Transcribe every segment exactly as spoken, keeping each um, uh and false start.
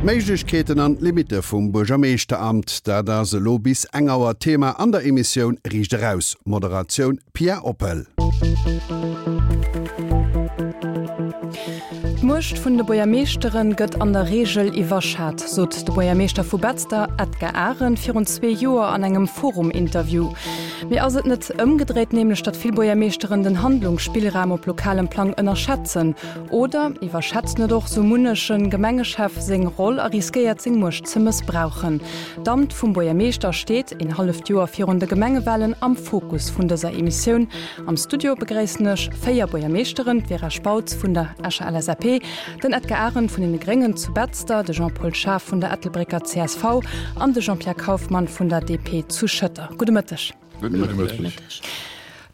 D'Méiglechkeeten an d'Limitte vum Buergermeeschteramt, dat ass elo bis eng Auer Thema an der Emissioun Riicht Eraus. Moderatioun Pia Oppel. D'Muecht vun de Buergermeeschtere gëtt an der Reegel iwwerschat, sot de Buergermeeschter vu Betzder, Edgar Arendt, virun zwee Joer an engem Forum-Interview. Mee ass et net ëmgedréit, nämlech datt vill Buergermeeschteren den Handlungsspillraum op lokalem Plang ënnerschätzen? Oder iwwerschätzt net och sou munneche Gemengechef seng Roll a riskéiert seng Muecht ze mëssbrauchen? D'Amt vum Buergermeeschter steet, een halleft Joer virun de Gemengewalen, am Fokus vun dëser Emissioun. Am Studio begréissen ech véier Buergermeeschteren, d'Vera Spautz vun der Escher L S A P, den Edgar Arendt vun den Gréngen zu Betzder, de Jean-Paul Schaaf vun der Ettelbrécker C S V an de Jean-Pierre Kauffmann vun der D P zu Schëtter. Gudde Mëtteg. Gudde Mëtteg.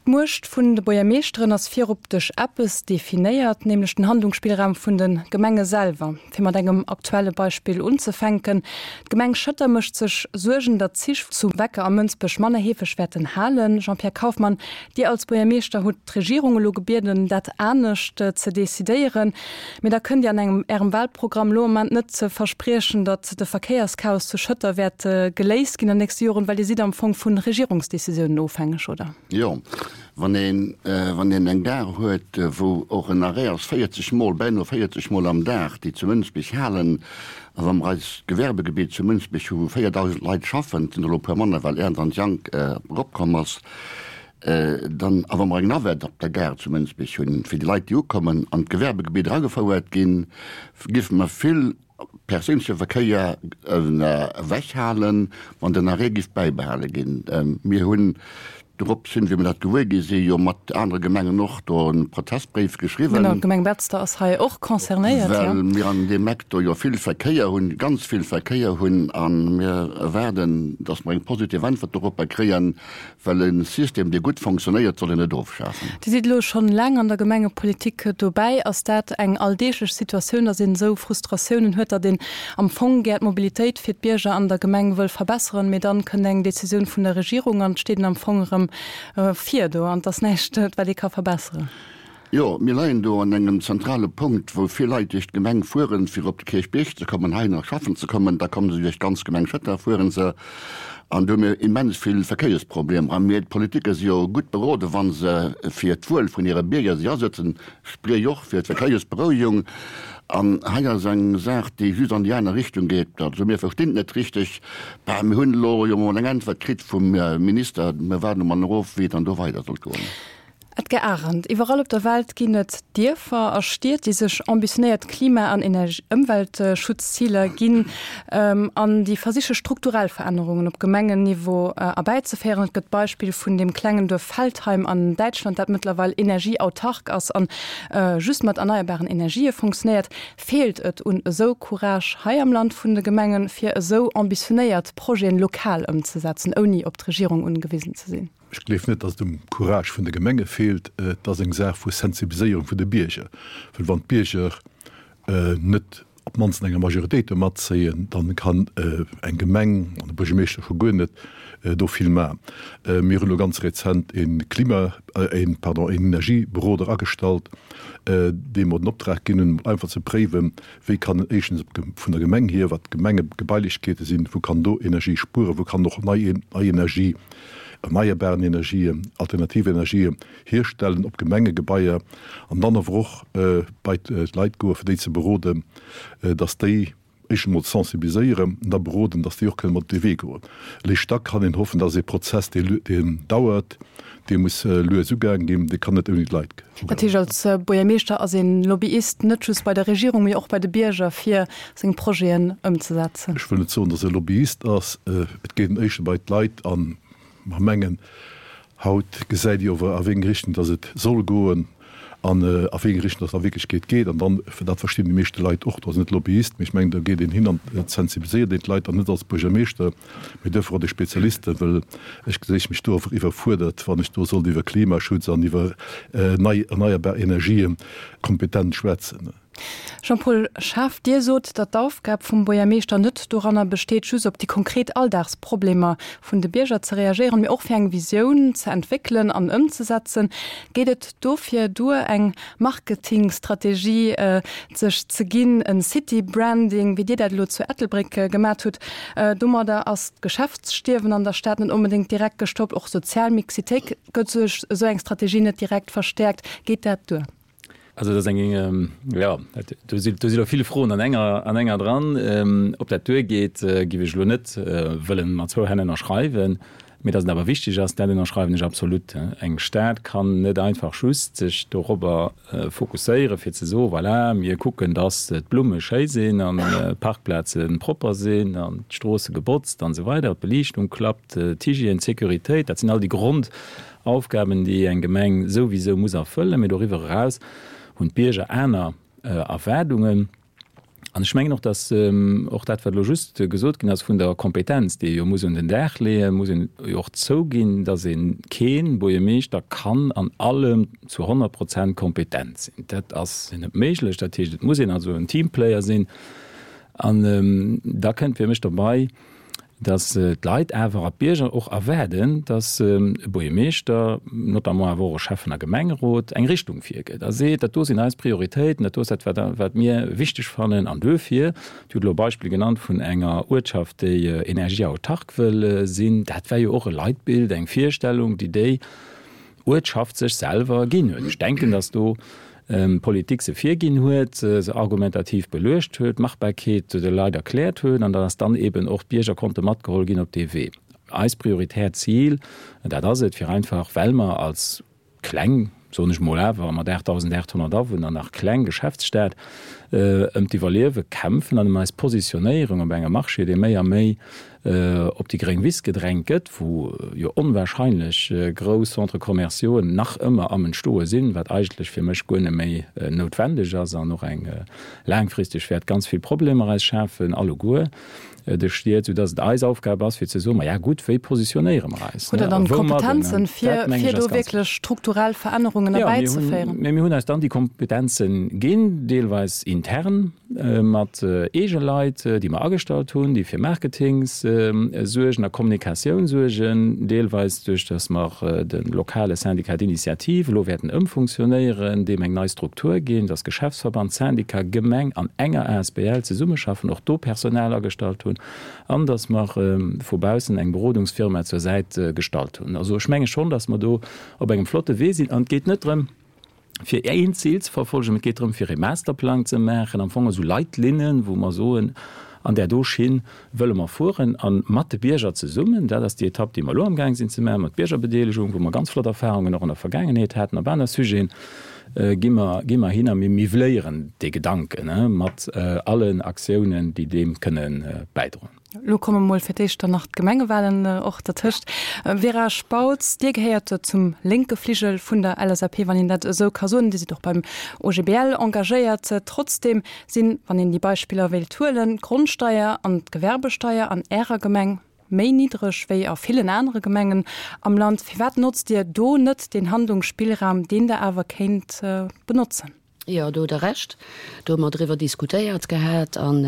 D'Muecht vun de Buergermeeschteren ass virop duerch eppes definéiert, nämlech den Handlungsspillraum vun de Gemenge selwer. Fir mat engem aktuelle Beispill unzefänken, d'Gemeng Schëtter mécht sech Suergen, datt Zich zu Wecker a Mënsbech manner heefeg wäerten halen. Jean-Pierre Kauffmann, Dir als Buergermeeschter hutt d'Regierung elo gebieden, dat anescht ze decidéieren. Mee da kënnt Dir an engem Ärem Wahlprogramm lo am Moment net ze verspriechen, datt de Verkéierschaos zu Schëtter wäert geléist ginn an den nächste Joren, well Dir sidd am Fong vun Regierungsdecisiounen ofhängeg, oder? Jo, wann een, wann een eng Gare huet, wou och en Arrêt ass véierzeg Mol, beinahe véierzeg Mol am Dag, déi zu Mënsbech halen, a wa mer eist Gewerbegebiet zu Mënsbech hu wou véierdausend Leit schaffen, et sinn elo e puer manner, well Ernst an Young eropkomm ass, dann, a wa mer eng Navette op der Gare zu Mënsbech hunn, fir déi Leit, déi ukommen, an d'Gewerbegebiet eragefouert ginn, géife mer vill perséinleche Verkéier ewechhalen, wann den Arrêt géif bäibehale ginn. Mir hunn dorop sinn, wéi mir dat gewuer gi sinn, jo mat anere Gemengen och do e Protestbréif geschriwwen. Genau, d'Gemeng Betzder ass hei och concernéiert, jo. Well mir an deem Eck do jo vill Verkéier hunn, ganz vill Verkéier hunn, a mir erwaarden, datt mer eng positiv Äntwert doropper kréien, well e System, dee gutt fonctionnéiert, soll een net ofschafen. Dir sidd elo schonn laang an der Gemengepolitik dobäi. Ass dat eng alldeeglech Situatioun, datt een esou Frustratiounen huet, datt een am Fong gär d'Mobilitéit fir d'Bierger an der Gemeng wëll verbesseren, mee dann kënnt eng Decisioun vun der Regierung an et steet een am Fong erëm vir do an et ass näischt, wat ee ka verbesseren? Jo, mir leien do an engem zentrale Punkt, wou vill Leit duerch d'Gemeng fueren, fir op de Kierchbierg ze kommen, hei nach schaffen ze kommen. Da kommen se duerch d'ganz Gemeng Schëtter, fueren se. An do hu mir immens vill Verkéiersproblemer. A mir, d'Politiker, si jo gutt beroden, wa se fir d'Wuel vun hire Bierger sech asetzen, spriech och fir d'Verkéiersberouegung. An hei ass eng Saach, déi just an déi aner Richtung geet. Also mir verstinn et net richteg. Bah, mir hunn elo jo mol eng Äntwert kritt vum Minister. Mir waarden emol nach of, wéi et dann do weider soll goen. Edgar Arendt, Iwwerall op der Welt ginn et Dierfer a Stied, déi sech ambitionéiert Klima an Ëmweltschutzziler ginn an déi versiche strukturell Verännerungen op Gemengenniveau erbäizeféieren. Et gëtt d'Beispill vun dem klengen Duerf Feldheim an Däitschland, dat mëttlerweil energieautark ass an just mat erneierbaren Energië funktionéiert. Feelt et un esou Courage hei am Land vun de Gemengen, fir esou ambitionéiert Projeten lokal ëmzesetzen, ouni op d'Regierung ugewisen ze sinn? Ech gleef net, datt et um Courage vun de Gemenge feelt. Et ass eng Saach vu Sensibiliséierung vun de Bierger. Well wann d'Bierger net op d'mannst an enger Majoritéit do matzéien, dann kann eng Gemeng an de Buergermeeschter scho guer net do vill maachen. Mir hunn elo ganz rezent e Klima, een, pardon, een Energieberoder agestallt, deem mer den Optrag ginn hunn, einfach ze préiwen, wéi kann en éischtens vun der Gemeng hier, wat d'Gemengegebailechkeete sinn, wou kann do Energie spueren, wou kann och nei, nei Energie, erneierbaren Energien, alternativ Energien hierstellen op Gemengegebaier an dann awer och bei d'Leit goen, fir déi ze beroden, dass déi éischt emol sensibiliséieren an da beroden, dass déi och kënnen mat op dee Wee goen. Eréischt da kann een hoffen, dass ee Prozess, deen dauert, dee muss lues ugaang ginn, dee kann net ouni d'Leit ugaangen. Dat heescht, als Buergermeeschter ass een Lobbyist net just bei der Regierung, mee och bei de Bierger, fir seng Projeten ëmzesetzen? Ech wëll net soen, dass e Lobbyist ass. Et geet en éischter bei d'Leit an mer mengen, haut gesäit Dir ower a wéi eng Richtung dass et soll goen an a wéi eng Richtung dass et a Wierklechkeet geet. An dann, dat verstinn déi meeschte Leit och, do ass net Lobbyist, mee ech mengen, do geet een hin an et sensibiliséiert een d'Leit an net als Buergermeeschter, mee duerfir och déi Spezialisten, well ech geséich mech do awer iwwerfuerdert, wann ech do sollt iwwer Klimaschutz an iwwer nei erneierbar Energien kompetent schwätzen. Jean-Paul Schaaf, Dir sot, datt d'Aufgab vum Buergermeeschter net doranner besteet, just op déi konkret Alldagsproblemer vun de Bierger ze reagéieren, mee och fir eng Visioun ze entwéckelen an ëmzesetzen. Geet et dofir duer, eng Marketingstrategie sech ze ginn, en City Branding, wéi Dir dat elo zu Ettelbréck gemat hutt? Domadder ass d'Geschäftsstierwen an der Stad net onbedéngt direkt gestoppt, och sozial Mixitéit gëtt duerch esou eng Strategie net direkt verstäerkt. Geet dat duer? Also dat ass eng, jo, do si do si lo vill Froen an enger an enger dran. Ob dat duergeet, géif ech elo net wëllen mat zwou Hänn ënnerschreiwen. Mee datt et awer wichteg ass, dat ënnerschreiwen ech absolut. Eng Stad kann net einfach just sech dorobber fokusséieren, fir ze soen, voilà, mir kucken, datt d'Blumme schéi sinn an d'Parkplaze propper sinn an d'Stroosse gebotzt an esou weider, d'Beliichtung klappt, d'Hygiène, d'Sécuritéit, dat sinn all déi Grondaufgaben, déi eng Gemeng souwisou muss erfëllen. Mee doriwwer eraus hunn d'Bierger aner Erwaardungen. An ech mengen och, dass och dat, wat elo just gesot ginn ass vun der Kompetenz, déi ee jo muss un den Dag leeën, muss een jo och zouginn, dass ee kee Buergermeeschter kann an allem zu honnert Prozent kompetent sinn. Dat ass net méiglech. Dat heescht, et muss een also en Teamplayer sinn. An da kënnt fir mech dobei, dass d'Leit awer a d'Bierger och erwaarden, dass e Buergermeeschter, notamment awer och e Schäffen a Gemengerot, eng Richtung virgëtt a seet, dat do sinn eis Prioritéiten, dat do ass dat, wat mir wichteg fannen. An duerfir, Dir hutt elo e Beispill genannt vun enger Uertschaft, déi energieautark wëll sinn, dat war jo och e Leitbild, eng Virstellung, déi déi Uertschaft sech selwer ginn huet. Ech denken, dass do d'Politik se virginn huet, se argumentativ beluecht huet, d'Machbarkeet de Leit erkläert huet an dass dann eben och d'Bierger konnte matgeholl ginn op dee Wee. Eist prioritär Zil, dat ass et, fir einfach, well mer als kleng, soen ech mol awer, mat aachtdausendaathonnert Awunner nach kleng Geschäftsstad, ëm d'Iwwerliewe kämpfen an ëm eis Positionéierung op engem Marché, dee méi a méi op déi gréng Wiss gedrängt gëtt, wou jo onwahrscheinlech grouss Centres commerciauxen nach ëmmer am Entstoe sinn, wat eigentlech fir mech guer net méi noutwendeg ass an och eng laangfristeg wäert ganz vill Problemer eis schafen alleguer de Stied, soudass et eis Aufgab ass fir ze soen, ma ja gutt, wéi positionéiere mer eis? Hutt Der dann d'Kompetenzen, fir do wierklech strukturell Verännerungen erbäizeféieren? Jo, mir hunn eis dann déi Kompetenzen ginn, deelweis intern mat eege Leit, déi mer agestallt hunn, déi fir Marketing suergen a Kommunikatioun suergen, deelweis duerch datt mer de lokale Syndicat d'initiative elo wäerten ëmfunktionéieren, deem eng nei Struktur ginn, datt Geschäftsverband, Syndicat, Gemeng an enger asbl zesummeschaffen, och do Personal agestallt hunn an datt mer vu baussen eng Berodungsfirma zur Säit gestallt hunn. Also ech menge schonn, datt mer do op engem flotte Wee sinn an et geet net drëm, fir een Zil ze verfolgen, mee et geet drëm, fir ee Masterplang ze maachen, am Fong esou Leitlinnen, wou mer soen, an där do Schinn wëlle mer fueren a mat de Bierger zesummen. Dat ass déi Etapp, déi mer elo amgaang sinn ze maachen, mat Biergerbedeelegung, wou mer ganz flott Erfahrungen och an der Vergaangenheet haten op aner Sujeten, gi mer, gi mer hin a mir miwwléieren dee Gedanken mat allen Aktiounen, déi deem kënne bäidroen. Elo komme mol fir d'éischt dann nach d'Gemengewahlen och dertëscht. Vera Spautz, Dir gehéiert zum lénke Fligel vun der L S A P, wann een dat esou ka soen. Dir sidd och beim O G B L engagéiert. Trotzdeem sinn, wann een déi Beispiller wéilt huelen, d'Grondsteier an d'Gewerbesteier an Ärer Gemeng méi niddreg wéi a villen anere Gemengen am Land. Firwat notzt Dir do net deen Handlungsspillraum, deen Der awer kéint benotzen? Jo, do hutt Der Recht. Do hu mer driwwer diskutéiert gehat an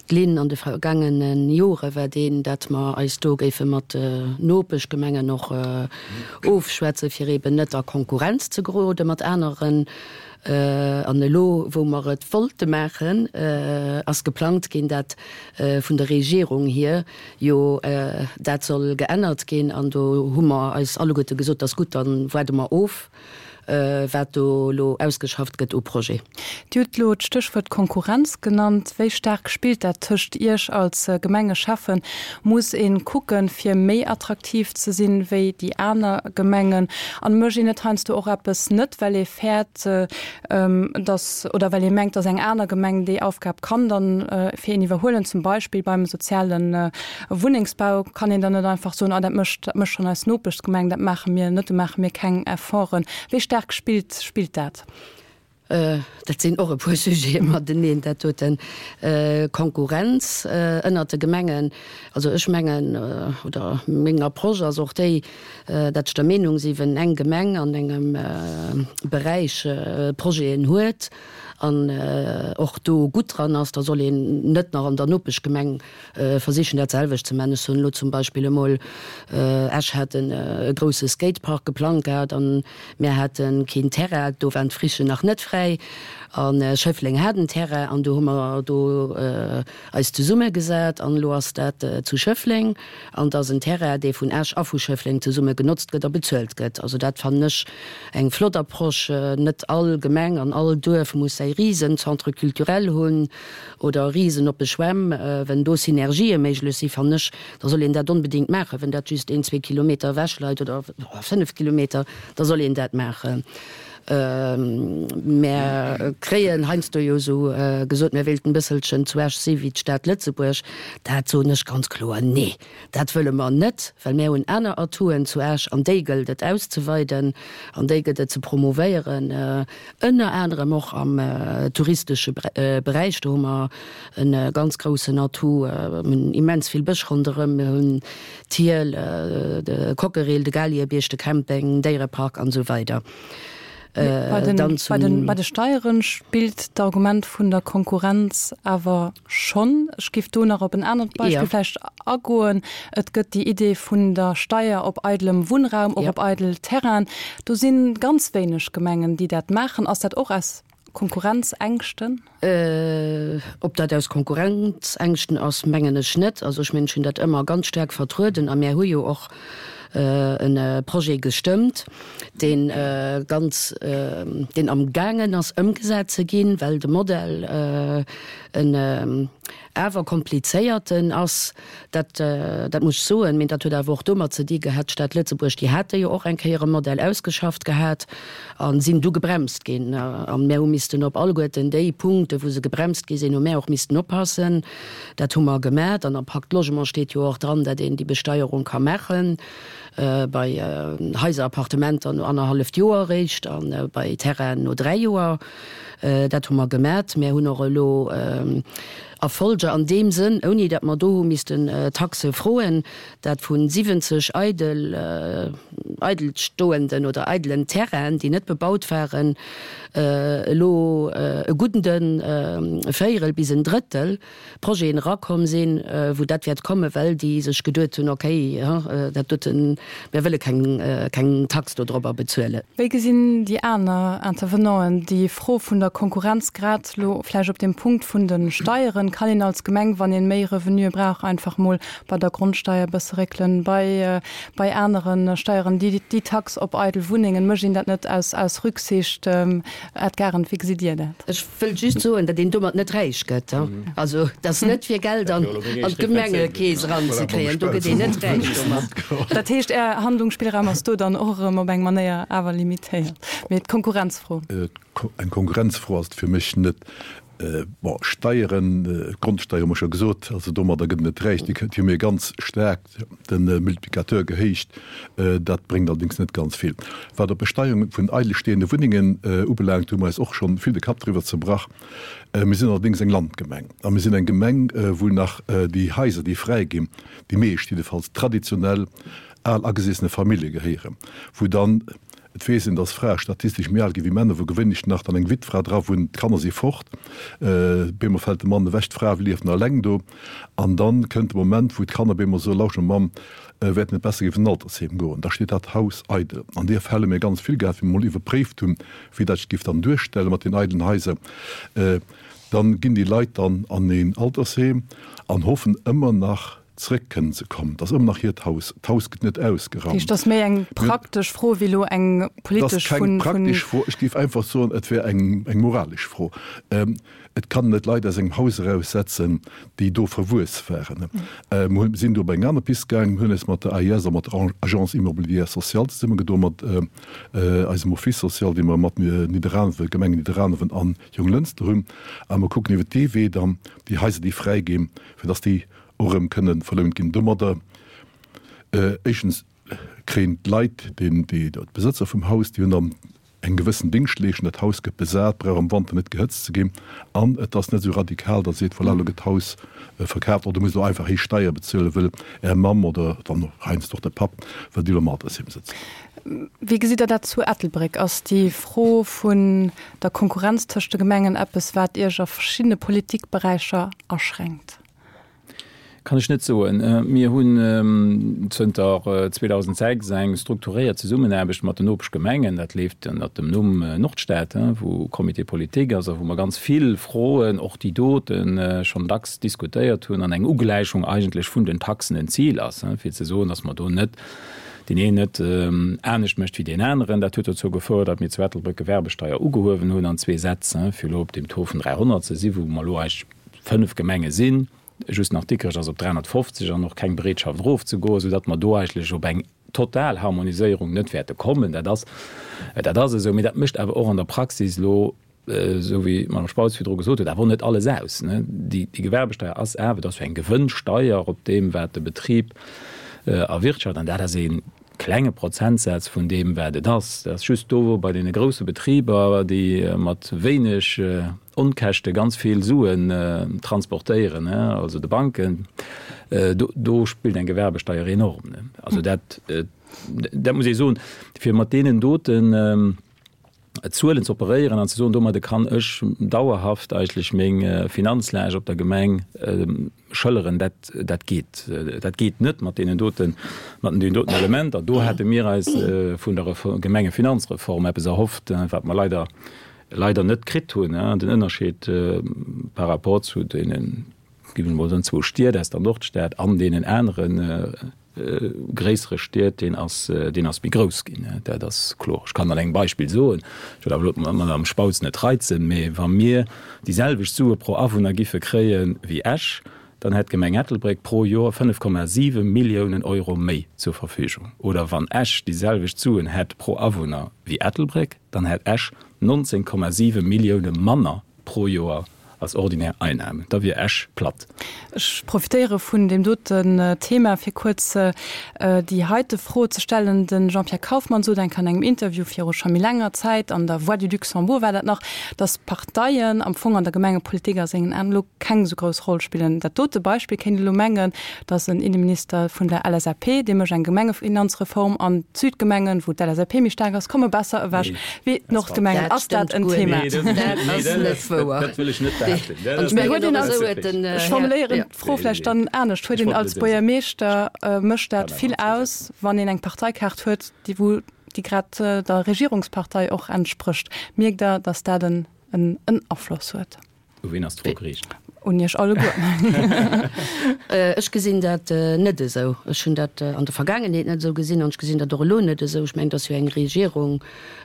d'Linn an de vergaangene Jore war deen, datt mer eis do géife mat Nopeschgemengen och ofschwätzen, fir eeben net a Konkurrenz ze gerode mat aneren. An elo, wou mer et wollte maachen, ass geplangt ginn, dat vun der Regierung hier jo dat soll geännert ginn. An do hu mer eis alleguerte gesot, dat ass gutt, da waarde mer of, wat do elo ausgeschafft gëtt u Projet. Dir hutt elo d'Stéchwuert Konkurrenz genannt. Wéi staark spillt dat tëscht Iech als Gemengeschäffen? Muss ee kucken, fir méi attraktiv ze sinn wéi déi aner Gemengen? An mécht een net heiansdo och eppes net, well ee fäert, dass, oder well ee mengt, dass eng aner Gemeng déi Aufgab kann dann fir een iwwerhuelen? Zum Beispill beim soziale Wunnengsbau kann een dann net einfach soen, ah dat mécht, dat mécht schonn eis Nopeschgemeng, dat maache mir net, do maache mir keng Efforten. Wéi staark spillt, spillt dat? Dat sinn och e puer Sujete mateneen, dat doten. Konkurrenz ënnert de Gemengen, also ech mengen, oder meng Approche ass och déi, datt ech der Meenung si wenn eng Gemeng an engem Beräich Projeten huet an och do gutt dran ass, da soll een net nach an der Nopeschgemeng versichen dat selwecht ze man. Ech soen elo zum Beispill emol, Esch hat e grousse Skatepark geplangt gehat an mär hate keen Terrain, do waren d'Frichen nach net fräi a Schëffleng hat en Terrain an do hu mer do eis zesummegesat an elo ass dat zu Schëffleng an et ass en Terrain, dee vun Esch a vu Schëffleng zesumme genotzt gëtt a bezuelt gëtt. Also dat fannen ech eng flott Approche. Net all Gemeng an all Duerf muss säi Risen-Centre culturel hunn oder Risen oppe Schwämm. Wenn do Synergië méiglech si fannen ech, da soll een dat onbedéngt maachen. Wenn dat just een, zwee Kilometer ewech leit oder fënnef Kilometer, da soll een dat maachen. Mär kréien heiansdo jo esou gesot, mär wéilten e bësselchen zu Esch si wéi d'Stad Lëtzebuerg. Dat soen ech ganz kloer, Nee, dat wëlle mer net, well mär hunn aner Atouen zu Esch an déi gëllt et auszeweiden an déi gëtt et ze promouvéieren, ënner anerem och am touristesche Beräich. Do hu mer e ganz groussen Atout. Mir hunn immens vill Bësch ronderëm, mir hunn d'Hiel, de Cockerill, de Galiebierg, de Camping, Déierepark an esou weider. Bei den, bei den, bei de Steieren spillt d'Argument vun der Konkurrenz awer schonn. Ech giff do nach op en anert Beispill ja. vläicht agoen. Et gëtt déi Idee vun der Steier op eidelem Wunnraum, och ja. op eidel Terrainen. Do si ganz wéineg Gemengen, déi dat maachen. Ass dat och aus Konkurrenzängschten? Ob dat aus Konkurrenzängschten ass, mengen ech net. Also ech mengen, ech hunn dat ëmmer ganz staark vertrueden a mär hu jo och e Projet gestëmmt, dee ganz, deen amgaangen ass ëmgesat ze ginn, well de Modell en awer komplizéierten ass. Dat, dat muss ech soen. Mee dat huet awer och domat ze di gehat, d'Stad Lëtzebuerg, déi hate jo och eng Kéier e Modell ausgeschafft gehat a sinn du gebremst ginn. A mär hu missten op alleguerten déi Punkte wou se gebremst gi sinn, hu mär och missten oppassen. Dat hu mer gemat. An am Pacte Logement steet jo och dran, datt een déi Besteierung ka maachen bei Haiser, Appartementer no annerhalleft Joer eréischt a bei Terrainen no dräi Joer. Dat hu mer gemat. Mär hunn och elo Erfolger an deem Sënn, ouni datt mer do hu missten Taxe froen, dat vu siwwenzeg eidel, eidelstoenden oder eidelen Terrainen, déi net bebaut waren, elo e gudden Véierel bis en Drëttel Projeten erakomm sinn, wou dat wäert kommen, well déi sech geduet hunn, okay, dat doten, mir wëlle keng, keng Tax dodrobber bezuelen. Wéi gesinn déi aner Intervenanten déi Fro vun der Konkurrenz, grad elo vläicht op dem Punkt vun de Steieren? Kann een als Gemeng, wann een méi Revenuë brauch, einfach mol bei der Grondsteier e bësse réckelen, bei, bei anere Steieren, déi, déi Tax op eidel Wunnengen, mécht een dat net aus, aus Rücksicht? Ed Arendt, wéi gesitt Dir dat? Ech wëll just soen, datt een domat net räich gëtt. Also et ass net fir Geld an d'Gemengekeess eranzekréien, do gëtt een net räich domat. Dat heescht, Är Handlungsspillraum ass do dann och erëm op eng Manéier awer limitéiert. Mee d'Konkurrenzfro? Eng Konkurrenzfro ass et fir mech net. Bon, Steieren, d'Grondsteier hu mer scho gesot, also domadder gëtt en net räich. Déi hu mir ganz staark de Multiplicateur gehéicht. Dat bréngt allerdéngs net ganz vill. Wat op Besteierung vun eidelstehende Wunnengen ubelaangt, hu mer eis och scho vill de Kapp driwwer zerbrach. Mir sinn allerdéngs eng Landgemeng a mir sinn eng Gemeng, wou nach déi Haiser, déi fräi ginn, déi meescht jiddefalls, traditionell al agesessene Famillje gehéieren, wou dann, et weess een, dass Frae statistesch méi al gi wéi Männer, wou gewéinlech nach dann eng Wittfra dra wunnt, d'Kanner si fort, bemol fält de Mann ewech, d'Fra lieft nach eleng do an dann kënnt de Moment, wou d'Kanner bemol soen, Lauschter Mamm, wäert net besser géif an en Altersheem goen, da steet dat Haus eidel. An deer Fäll hu mir ganz vill gehat, wéi mir mol iwwerpréift hunn, wéi dat sech géif dann duerstelle mat den eidelen Haiser. Dann ginn déi Leit dann an een Altersheem an hoffen ëmmer nach, zréck kënnen ze kommen. Et ass ëmmer nach hiert Haus. D'Haus gëtt net ausgeraumt. Dat heescht, et ass méi eng praktesch Fro wéi elo eng politesch vun. Et ass keng praktesch Fro. Ech géif einfach soen, et wär eng moralesch Fro. Et kann net Leit aus engem Haus eraussetzen, déi do verwuess waren. Mir sinn do op eng aner Pist gaangen. Mir hunn eis mat der A I S a mat der Agence immobilière sociale zesummegedoen, mat eisem Office social, dee mer mat Nidderaanwen, Gemeng Nidderaanwen an Jonglënster hunn. A mer kucken iwwer dee Wee dann déi Haiser, déi fräi ginn, fir dass déi och erëm kënne verlount ginn. Domadder éischtens kréien d'Leit, déi d'Besëtzer vum Haus, déi hunn dann eng gewëssen Dingschtleeschtung, dat Haus gëtt besat, brauch am Wanter net gehëtzt ze ginn an et ass net esou radikal, datt seet, voilà, elo gëtt d'Haus verkaaft oder muss elo einfach héich Steier bezuelen, wëll Är Mamm oder dann och heiansdo och de Papp, well déi elo am Altersheem sëtzen. Wéi gesitt Der dat zu Ettelbréck? Ass déi Fro vun der Konkurrenz tëscht de Gemengen eppes, wat Iech a verschiddene Politikberäicher aschränkt? Kann ech net soen. Mir hunn zënter zweedausendsechs eng strukturéiert Zesummenaarbecht mat den Nopeschgemengen. Dat leeft ënnert dem Numm Nordstad, wou Comité politique ass a wou mer ganz vill Froen, och déi doten, schonn dacks diskutéiert hunn an eng Ugläichung eigentlech vun den Taxen en Zil ass, fir ze soen, datt mer do net deen een net anescht mécht wéi deen aneren. Dat huet dozou gefouert, datt mir zu Ettelbréck d'Gewerbesteier ugehuewen hunn an zwee Sätz, fir elo op deem Taux vun dräihonnert ze sinn, wou mer elo eigentlech fënnef Gemenge sinn. Just nach Dikrech ass op dräihonnertfofzeg an och keng Bereetschaft erofzegoen, soudatt mer do eigentlech op eng total Harmoniséierung net wäerte kommen. Dat ass, dat ass esou. Mee dat mécht awer och an der Praxis elo, esou wéi d'Madame Spautz virdru gesot huet, awer och net alles aus. Déi Gewerbesteier ass awer, dat ass jo eng Gewënnsteier op deem, wat de Betrib erwirtschaft, an dat ass ee klenge Prozentsaz vun deem, wat et ass. Dat ass just do, wou bei deene grousse Betriber, déi mat wéineg Onkäschte ganz vill Suen transportéieren, also de Banken, do spillt eng Gewerbesteier enorm. Also dat, dat muss ee soen, fir mat deenen doten Zuelen ze operéieren an ze soen, domadde kann ech dauerhaft eigentlech meng Finanzlag op der Gemeng schëlleren, dat, dat geet, dat geet net mat deenen doten, mat deenen doten Elementer. Do hate mir eis vun der Gemengefinanzreform eppes erhofft, wat mer leider, leider net kritt hunn. Den Ënnerscheed par rapport zu deenen, gi mer emol soen, zwou Stied aus der Nordstad an deenen anere gréissere Stied, deen ass, deen ass méi grouss ginn. Dat ass kloer. Ech kann an engem Beispill soen, ech wëll awer elo d'Madame Spautz net reizen, mee wa mir déi selwecht Sue pro Awunner giffe kréie wéi Esch, dann hätt d'Gemeng Ettelbréck pro Joer fënnef Komma siwe Milliounen Euro méi zur Verfügung. Oder wann Esch déi selwecht Suen hätt pro Awunner wéi Ettelbréck, dann hätt Esch nonzéng Komma siwe Millioune manner pro Joer als ordinär Einnahmen. Da wier Esch platt. Ech profitéiere vun deem doten Thema, fir kuerz déi heite Fro ze stellen. De Jean-Pierre Kauffmann sot eng Kéier an engem Interview viru scho méi laanger Zäit, an der Voix du Luxembourg war dat nach, datt d'Parteien am Fong an der Gemengepolitik a sengen Aen elo keng esou grouss Roll spillen. Dat dote Beispill kéint elo mengen, datt en Inneminister vun der L S A P, dee mécht eng Gemengefinanzreform an d'Südgemengen, wou d'L S A P méi staark ass, komme besser ewech wéi d'Nordgemengen. Ass dat en Thema? Dat ass net wouer. Dat wëll ech net behaapten. Ech formuléieren d'Fro vläicht dann anescht, Huet een als Buergermeeschter, mécht dat vill aus, wann een eng Parteikaart huet, déi wou déi grad der Regierungspartei och entsprécht? Mierkt Der, datt dat en Afloss huet? U wien ass d'Fro geriicht? Un Iech alleguer. Ech gesinn dat net esou. Ech hunn dat an der Vergaangenheet net esou gesinn an ech gesinn dat och elo net esou. Ech mengen, et ass jo eng Regierung,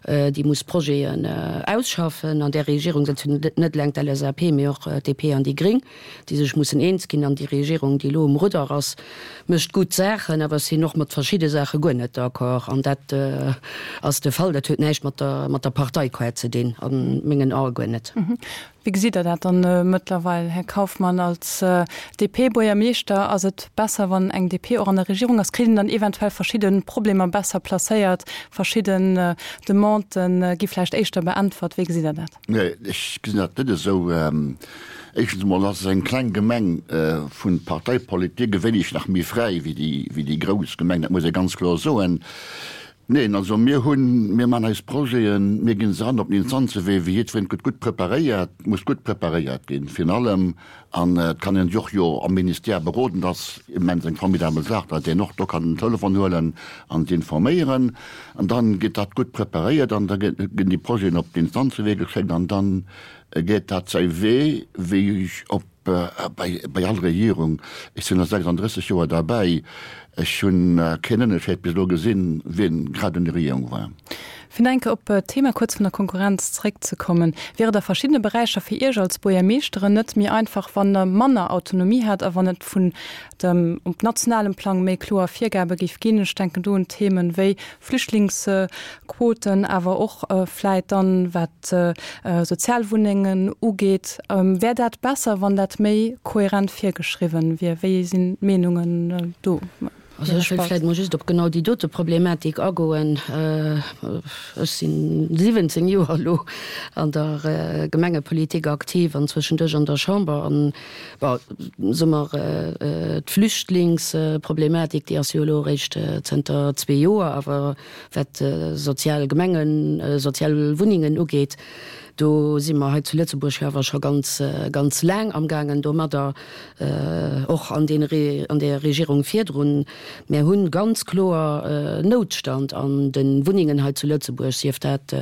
déi muss Projeten ausschaffen. An där Regierung sëtzt jo net eleng d'L S A P, mee och d'D P an déi Gréng, déi sech mussen eens ginn. An déi Regierung, déi elo um Rudder ass, mécht gutt Saachen, awer ech sinn och mat verschidde Saache guer net d'accord. An dat ass de Fall. Dat huet näischt mat der, mat der Parteikaart ze dinn, a mengen Ae guer net. Wéi gesitt Der dat dann mëttlerweil, Här Kauffmann, als D P-Buergermeeschter? Ass et besser, wann eng D P och an der Regierung ass? Kritt een dann eventuell verschidde Problemer besser placéiert, verschidden Demandë gi vläicht éischter beäntwert? Wéi gesitt Der dat? Nee, ech gesinn dat net esou. Éischtens emol ass eng kleng Gemeng vun Parteipolitik e wéineg nach méi fräi wéi déi grouss Gemeng, dat muss ee ganz kloer soen. Neen, also mir hunn, mir maachen eis Projeten, mir ginn se an op den Instanzewee, wéi jiddwereen, et gëtt gutt preparéiert, muss gutt preparéiert ginn virun allem, an et kann een sech och jo am Ministère beroden, dat ass immens eng formidabel Saach, datt een och do kann den Telefon huelen an se informéieren, an dann gëtt dat gutt preparéiert an da ginn déi Projeten op den Instanzewee geschéckt an dann geet dat säi Wee, wéi op bei bei all Regierung. Ech sinn elo sechsanddrësseg Joer derbäi, ech hunn keen Ënnerscheed bis elo gesinn, wien grad un der Regierung war. Fir nach eng Kéier op d'Thema kuerz vun der Konkurrenz zréckzekommen, Wier et a verschiddene Beräicher fir Iech als Buergermeeschteren net méi einfach, wann Der manner Autonomie hätt a wann et vun dem op nationalem Plang méi kloer Virgabe géif ginn? Ech denken do un Themen wéi Flüchtlingsquoten, awer och vläit dann, wat Sozialwunnengen ugeet. Wär dat besser, wann dat méi kohärent virgeschriwwen wier? Wéi sinn d'Meenungen do? Also ech wëll vläicht mol just op genau déi dote Problematik agoen. Ech si siwwenzéng Joer elo an der Gemengepolitik aktiv an zwëschenduerch an der Chamber. An, bon, soe mer, d'Flüchtlingsproblematik, déi ass jo elo eréischt zënter zwee Joer, awer wat sozial Gemengen, sozial Wunnengen ugeet, do si mer hei zu Lëtzebuerg jo awer scho ganz, ganz laang amgaangen domadder, och an deene, an där Regierung virdrun. Mär hu ganz kloer Noutstand an de Wunnengen hei zu Lëtzebuerg, sief dat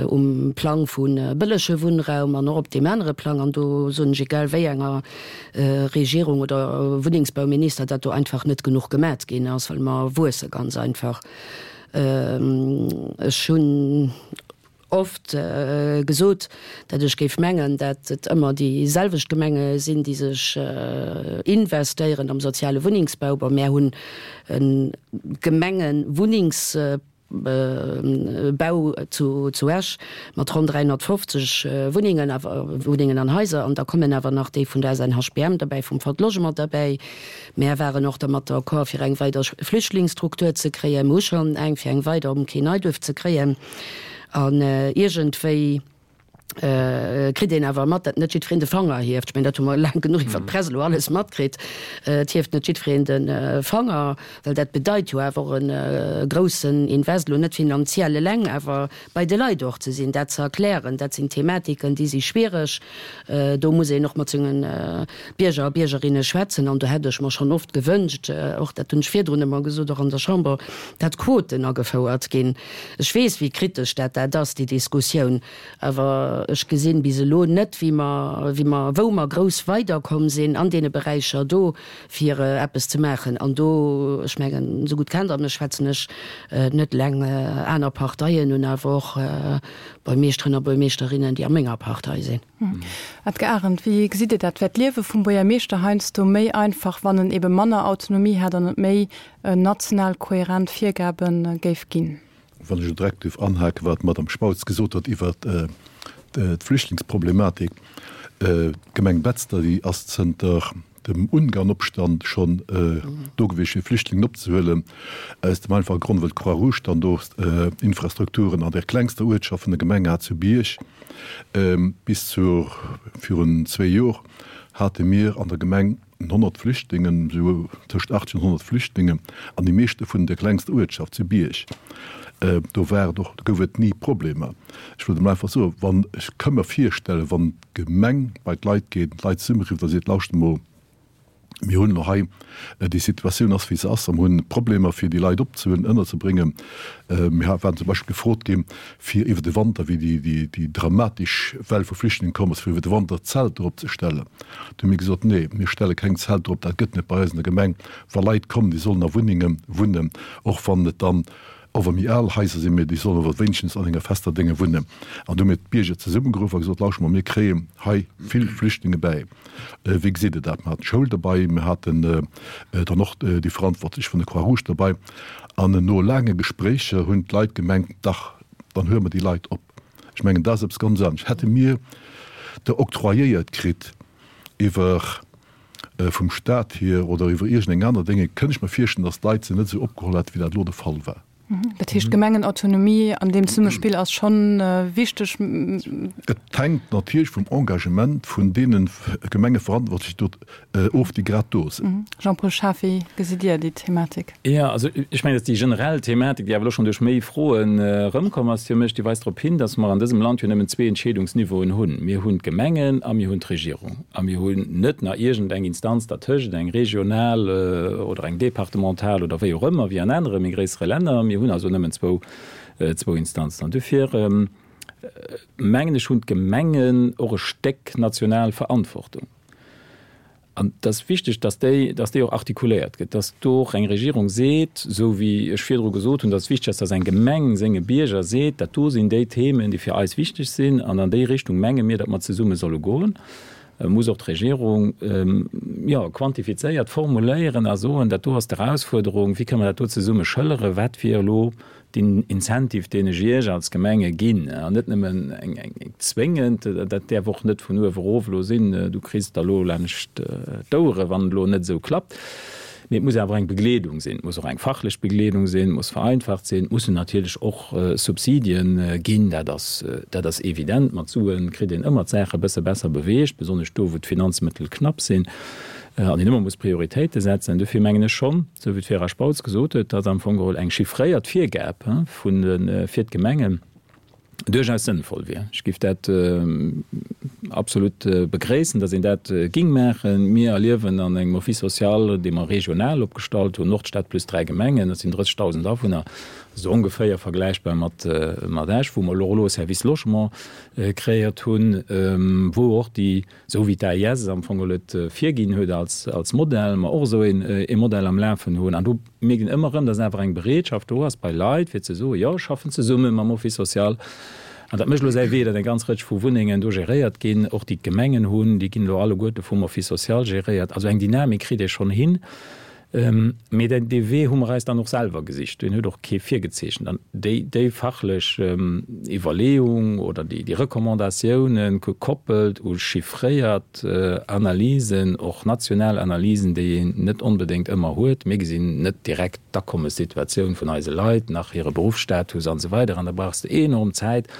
um Plang vu bëllege Wunnraum an och op deem anere Plang. An do soen ech, egal wéi enger Regierung oder Wunnengsbauminister, datt do einfach net genuch gemat ginn ass, well mer wuesse ganz einfach. Ech hunn oft gesot, datt ech géif mengen, datt et ëmmer déi selwecht Gemenge sinn, déi sech investéieren am soziale Wunnengsbau. Bon, mär hunn e Gemengewunnengsbau zu Esch mat ronn dräihonnertfofzeg Wunnengen, awer Wunnengen an Haiser, an da kommen awer nach déi vun der S N H B M derbäi, vum Fonds Logement derbäi. Mär waren och dermat d'accord, fir eng weider Flüchtlingsstruktur ze kréien. Mir hu schonn eng, fir eng weider um Quai Neiduerf ze kréien. An iergendwéi kritt een awer mat, datt net jiddwereen de Fanger hieft. Ech mengen, dat hu mer laang genuch iwwer d'Press elo alles matkritt. Et hieft net jiddwereen de Fanger, well dat bedeit jo awer och e groussen Invest, elo net finanziell eleng, awer bei de Leit och ze sinn, dat ze erklären. Dat sinn Thematiken, déi si schwiereg. Do muss een och mat senge Bierger a Biergerinne schwätzen. An do hätt ech mer schonn oft gewënscht, och dat hunn ech virdrun ëmmer gesot, och an der Chamber, datt Quoten agefouert ginn. Ech weess, wéi kritesch dat dat ass, déi Diskussioun, awer ech gesinn bis elo net, wéi mer, wéi mer, wou mer grouss weiderkomm sinn an deene Beräicher do, fir eppes ze maachen. An do, ech mengen, esou gutt kennt Der mech, schwätzen ech net eleng aner Parteien un, awer och Buermeeschteren a Buermeeschterinnen, déi a menger Partei sinn. Edgar Arendt, Wéi gesitt Dir dat? Wär d'Liewe vum Buergermeeschter heiansdo méi einfach, wann en ebe manner Autonomie hätt an et méi national kohärent Virgabe géif ginn? Wann ech elo direkt duerf anhaken, wat d'Madame Spautz gesot huet iwwert d'Flüchtlingsproblematik. D'Gemeng Betzder, déi ass zënter dem Ungarnopstand schonn do gewiescht, fir Flüchtlingen opzehuelen, aus dem einfache Grond, well d'Croix-Rouge dann do Infrastrukturen an der klengster Uertschaft vun der Gemeng hat, zu Bierg. Bis zu virun zwee Jor hate mir an der Gemeng honnert Flüchtlingen, esou tëscht achtzeg an honnert Flüchtlingen, an déi meescht dovun an der klengster Uertschaft, zu Bierg. Do war et och, do gouf et ni Problemer. Ech wëllt emol einfach soen, wann, ech ka mer virstellen, wann d'Gemeng bei d'Leit geet, d'Leit zesummerifft a seet, Lauschtert emol, mir hunn elo hei, déi Situatioun ass wéi se ass a mir hunn Problemer fir déi Leit opzehuelen, ënnerzebréngen. Mir waren zum Beispill gefrot ginn, fir iwwer de Wanter, wéi déi, déi dramatesch Well vu Flüchtlingen komm ass, fir iwwer de Wanter Zelter opzestellen. Do hu mir gesot, Nee, mir stelle keng Zelter op, dat gëtt net bei eis an der Gemeng. Wa Leit kommen, déi sollen a Wunnenge wunnen, och wann et dann Och wa méi al Haiser sinn, mee déi sollen awer wéinstens an enger fester Dénge wunnen. An du hu mir d'Bierger zesummegeruff a gesot, Lauschtert mol, mir kréien hei vill Flüchtlinge bäi. Wéi gesitt Der dat? Mir haten d'Schoul derbei, mir haten dann och déi Verantwortlech vun der Croix-Rouge derbei. An no laange Gespréicher hunn d'Leit gemengt, Dach, dann huele mer déi Leit op. Ech mengen, dat ass eppes ganz anescht. Hätte mir der octroyéiert kritt iwwer vum Staat hier oder iwwer iergendeng aner Dénge, kënnt ech mer virstellen, datt d'Leit se net esou opgeholl hätten, wéi dat elo de Fall war. Dat heescht, d'Gemengenautonomie an deem Zesummespill ass scho wichteg. Et hänkt natierlech vum Engagement vun deene Gemengeverantwortlechen do of, déi grad do sinn. Jean-Paul Schaaf, wéi gesitt Dir déi Thematik? Jo, also ech mengen, datt déi generell Thematik, déi awer elo schonn duerch méi Froen erëmkomm ass fir mech, déi weist drop hin, datt mer an dësem Land jo nëmmen zwee Entscheedungsniveauen hunn. Mir hunn d'Gemengen a mir hunn d'Regierung. A mir hunn net nach iergendeng Instanz dertëscht, eng regional oder eng departemental oder wéi och ëmmer, wéi an anere méi gréissere Länner. Mir hunn also nëmmen zwou, zwou Instanzen. An dofir, mengen ech, hunn d'Gemengen och e Stéck national Verantwortung. An et ass wichteg, dass déi, dass déi och artikuléiert gëtt, dass do och eng Regierung seet, esou wéi ech virdru gesot hunn, dass et wichteg ass, dass eng Gemeng senge Bierger seet, dat do sinn déi Themen, déi fir eis wichteg sinn an an déi Richtung menge mir, datt mer zesumme solle goen. Muss och d'Regierung, jo, quantifizéiert formuléieren a soen, dat do ass d'Erausfuerderung, wéi kënne mer dat do zesumme schëlleren, wat wier elo den Incentive, deen ech Iech als Gemenge ginn, an net nëmmen eng zwéngend, dat däerf och net vun uewe erof elo sinn, du kriss der elo laanscht d'Ouere wann et elo net esou klappt, Mee et muss awer eng Begleedung sinn, et muss och eng fachlech Begleedung sinn, et muss vereinfacht sinn, et mussen natierlech och Subsidien ginn, dat ass, dat ass evident. Mat Sue kritt een ëmmer d'Saache e bësse besser beweegt, besonnesch do, wou d'Finanzmëttel knapp sinn an een ëmmer muss Prioritéite setzen. Dofir mengen ech schonn, esou wéi d'Vera Spautz gesot huet, datt am Fong geholl eng chiffréiert Virgab vun de, fir d'Gemengen duerchaus sënnvoll wier. Ech géif dat absolut begréissen, datt een dat géing maachen. Mir erliewen an engem Office social, dee mer regional opgestallt hunn, Nordstad plus dräi Gemengen, dat sinn drëssegdausend Awunner, esou ongeféier vergläichbar mat Esch, wou mer elo elo e Service Logement kreéiert hunn, wou och déi, esou wéi d'AIS am Fong geholl et virginn huet als Modell, mer och esou ee Modell am Lafen hunn. An do mierkt een ëmmer erëm, datt awer eng Bereetschaft do ass bei Leit, fir ze soen, jo, ech schaffen zesumme mam Office social. An dat mécht elo säi Wee, datt eng ganz Rëtsch vu Wunnengen do geréiert ginn, och déi d'Gemengen hunn, déi ginn elo alleguerte vum Office social geréiert. Also eng Dynamik kritt ee schonn hin. Mee dee Wee hu mer eis dann och selwer gesicht, deen huet och kee virgezeechent. An déi, déi fachlech Iwwerleeung oder déi, déi Recommandatiounen, gekoppelt u chiffréiert Analysen, och national Analysen, déi een net onbedéngt ëmmer huet, mir gesinn net direkt d'Akommessituatioun vun eise Leit, nach hire Beruffsstatus an esou weider, an da brauchs de enorm Zäit,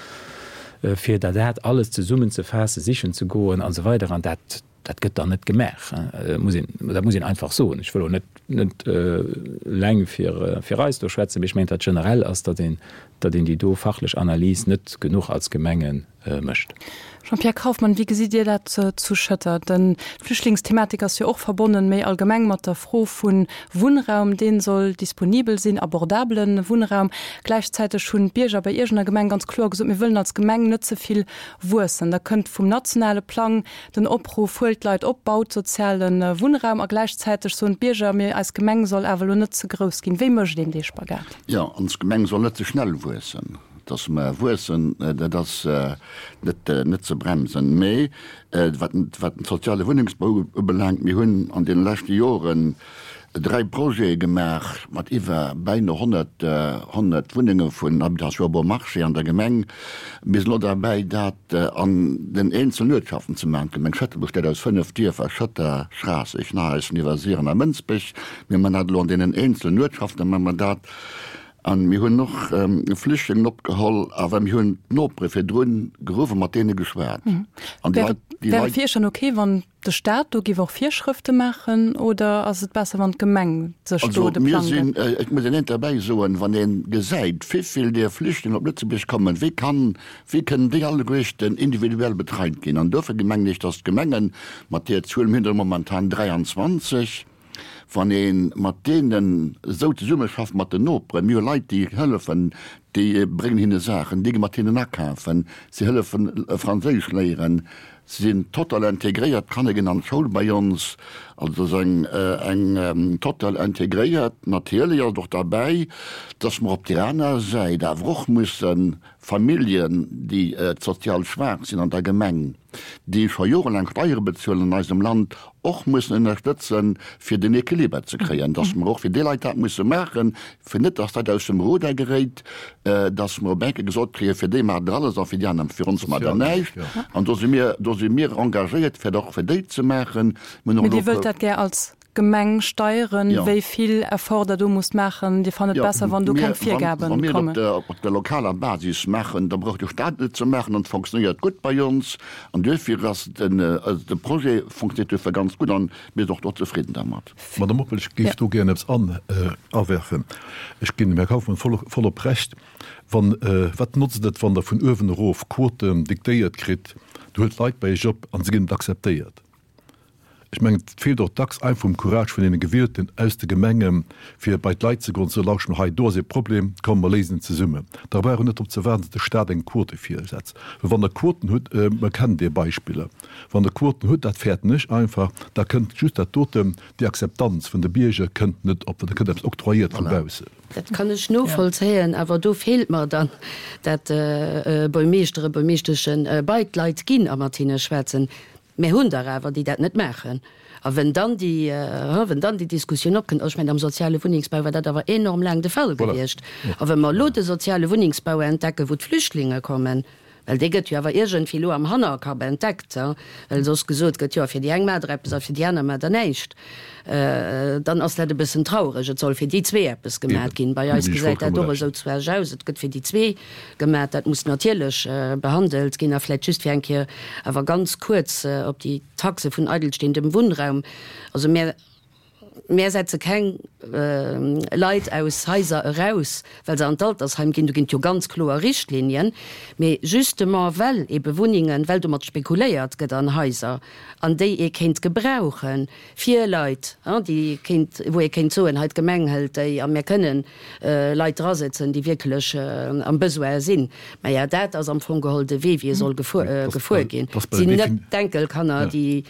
fir der dat alles zesummenzefaassen, sichen ze goen an esou weider. An dat, Dat gëtt dann net gemaach, muss een, dat muss een einfach soen. Ech wëll och net, net eleng fir, fir eis do schwätzen, mee ech mengen, datt generell ass, datt een, datt een déi do fachlech Analys net genuch als Gemenge mécht. Jean-Pierre Kauffmann, wéi gesitt Dir dat zu Schëtter? Den, d'Flüchtlingsthematik ass jo och verbonnen, méi allgemeng mat der Fro vu Wunnraum, dee soll disponibel sinn, abordabele Wunnraum. Gläichzäiteg hunn d'Bierger bei Iech an der Gemeng ganz kloer gesot, mir wëllen als Gemeng net ze vill wuessen. Da kënnt vum nationale Plang den Opruff, Huelt d'Leit op, baut soziale Wunnraum. A gläichzäiteg soen d'Bierger, Mir, eis Gemeng soll awer elo net ze grouss ginn. Wéi mécht een dee Spagat? Jo, ons Gemeng soll net ze schnell wuessen. Dass mer wuessen, dat ass net, net ze bremsen. Mee wat, wat den soziale Wunnengsbau ubelaangt, mir hunn an deene leschte Joren dräi Projete gemaach mat iwwer bäino honnert, honnert Wunnenge vun Habitation bon marché an der Gemeng. Mir sinn elo derbäi, dat an den eenzelen Uertschaften ze maachen. D'Gemeng Schëtter besteet aus fënnef Dierfer, Schëtter, Schraasseg, Nahäusen, Iwwersiren a Mënsbech. Mir man dat elo an deenen eenzelen Uertschaften, man mer dat. An mir hunn och Flüchtlingen opgeholl, awer mir hunn d'Nopere virdrun geruff a mat deene geschwat. An déi Leit, déi Wär et fir Iech dann ok, wann de Staat do géif och Virschrëfte maachen, oder ass et besser, wann d'Gemeng sech do de Plang gëtt? Also mir sinn, et muss een eent derbäi soen, wann ee gesäit, wéivill där Flüchtlingen op Lëtzebuerg kommen, wéi kann, wéi kënnen déi alleguerten individuell betreit ginn? An dofir mengen ech, datt d'Gemengen mat där Zuel, mir hunn der momentan dräianzwanzeg, Wann ee mat deenen esou zesummeschafft, mat den Noperen, mir hu Leit, déi hëllefen, déi bréngen hinne Saachen, déi gi mat hinnen akafen, si hëllefen Franséisch léieren, si sinn total integréiert, d'Kanner ginn an d'Schoul bei ons, also et ass eng eng total integréiert. Natierlech ass et och derbäi, dass mer op där aner Säit awer och mussen Familljen, déi sozial schwaach sinn an der Gemeng, déi scho jorelaang Steiere bezuelen an eisem Land, och mussen ënnerstëtzen, fir den Equiliber ze kréien, dass mer och fir déi Leit dat musse maachen, fir net, dass dat aus dem Ruder geréit, dass mer op eng Kéier gesot kréien, fir déi maacht Der alles a fir déi aner, fir ons maacht Der näischt. An do si mir, do si mir engagéiert, fir dat och fir déi ze maachen. Mir hunn och elo. Mee Dir wëllt dat gär als Gemeng steieren, wéi vill Effort Der do musst maachen. Dir fannt et besser, wann do keng Virgaben kommen. Wa mir et op der lokaler Basis maachen, da brauch de Staat et net ze maachen an et fonctionnéiert gutt bei ons. An duerfir ass den, also de Projet fonctionnéiert duerfir ganz gutt an mir sinn och do zefridden dermat. Madame Oppel, ech géif do gären eppes awerfen. Ech ginn dem Här Kauffmann vollop Recht. Wann, wat notzt et, wann Der vun uewen erof Quoten diktéiert kritt, Der huelt Leit bei Iech op an se ginn net akzeptéiert? Ech mengen, et feelt och dacks einfach um Courage vun deene Gewielten aus de Gemengen, fir bei d'Leit ze goen an ze soen, Lauscht mol hei, do ass ee Problem, komm mer léisen en zesummen. Da brauch een net drop ze waarden, datt de Stat eng Quote virsetzt. Well wann Der Quoten hutt, mer kennen déi Beispiller, wann Der Quoten hutt, dat fäerten ech einfach, da kënnt just dat doten, déi Akzeptanz vun de Bierger kënnt net op, well da kënnt eppes octroyéiert vu baussen. Dat kann ech novollzéien, awer do feelt mer dann dat Buermeeschteren, Buermeeschteschen bei d'Leit ginn a mat hinne schwätzen. Mir hunn der awer, déi dat net maachen. A wenn dann déi, wenn dann déi Diskussioun opkënnt, also ech mengen, am soziale Wunnengsbau war dat awer enorm laang de Fall gewiescht. A wa mer elo de soziale Wunnengsbau entdecken, wou d'Flüchtlinge kommen, Well dee gëtt jo awer iergendwéi elo am Hannerkapp entdeckt, well soss gesot gëtt, jo fir déi eng maacht der eppes a fir déi aner maacht der näischt. Dann ass dat e bëssen traureg. Et soll fir déi zwee eppes gemat ginn. Bei eis gesäit dat och esou zu Esch aus, et gëtt fir déi zwee gemat. Dat muss natierlech behandelt ginn. A vläicht just fir eng Kéier awer ganz kuerz op déi Taxe vun eidelstehendem Wunnraum. Also mir Mär setze keng Leit aus Haiser eraus, well se an d'Altersheim ginn. Do ginn et jo ganz kloer Richtlinien. Mee justement well ebe Wunnengen, well domat spekuléiert gëtt an Haiser, an déi ee kéint gebrauche fir Leit, déi kéint, wou ee kéint soen, hei d'Gemeng hëlt déi a mär kënnen Leit drasetzen, déi wierklech am Besoin sinn. Maja, dat ass am Fong geholl de Wee, wéi e soll gefuer ginn. Et sinn net d'Enkelkanner, déi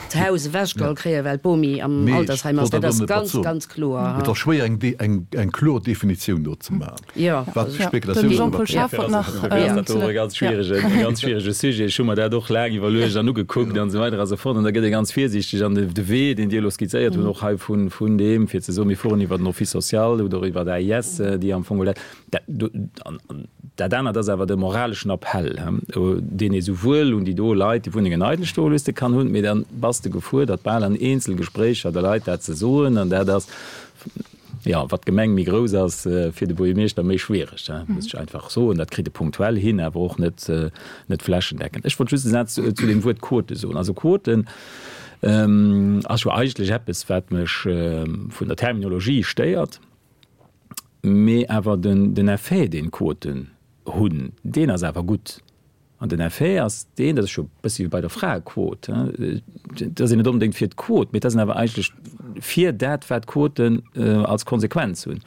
d'Haus ewechgeholl kréien, well d'Bomi am Altersheim ass. Dat ass ganz, ganz kloer. Et ass schwéier, eng kloer Definitioun do ze maachen. Jo. Wat Spekulatioun Den Jean-Paul Schaaf wollt nach. Dat ass och e ganz schwieregen, e ganz schwierege Sujet. Ech hu mer dat och laang iwwerluecht an ugekuckt an esou weider a sou fort. An da gëtt ee ganz virsiichteg. An de Wee, deen Dir elo skizzéiert hutt, och hei vun, vun deem, fir ze soen, mir fueren iwwer den Office social oder iwwer d'AIS, déi am Fong geholl dat, dat, Dat anert ass awer de moraleschen Appell, deen ee souwuel un déi do Leit, déi Wunnengen eidel stoe loosse, kann hunn, mee da bass de gefuerdert, bal an Eenzelgespréicher de Leit dat ze soen. An dat ass, jo, wat d'Gemeng méi grouss ass, fir de Buergermeeschter méi schwiereg, muss ech einfach soen. Dat kritt e punktuell hin, awer och net, net flächendeckend. Ech wollt just e Saz zu deem Wuert Quote soen. Also Quoten ass jo eigentlech eppes, wat mech vun der Terminologie stéiert. Mee awer den Effet, deen d'Quoten hunn, deen ass awer gutt. An den Effet ass deen, dat ass jo e bëssi wéi bei der Fraequot, et ass een net onbedéngt fir d'Quot, mee et ass een awer eigentlech fir dat, wat d'Quoten als Konsequenz hunn.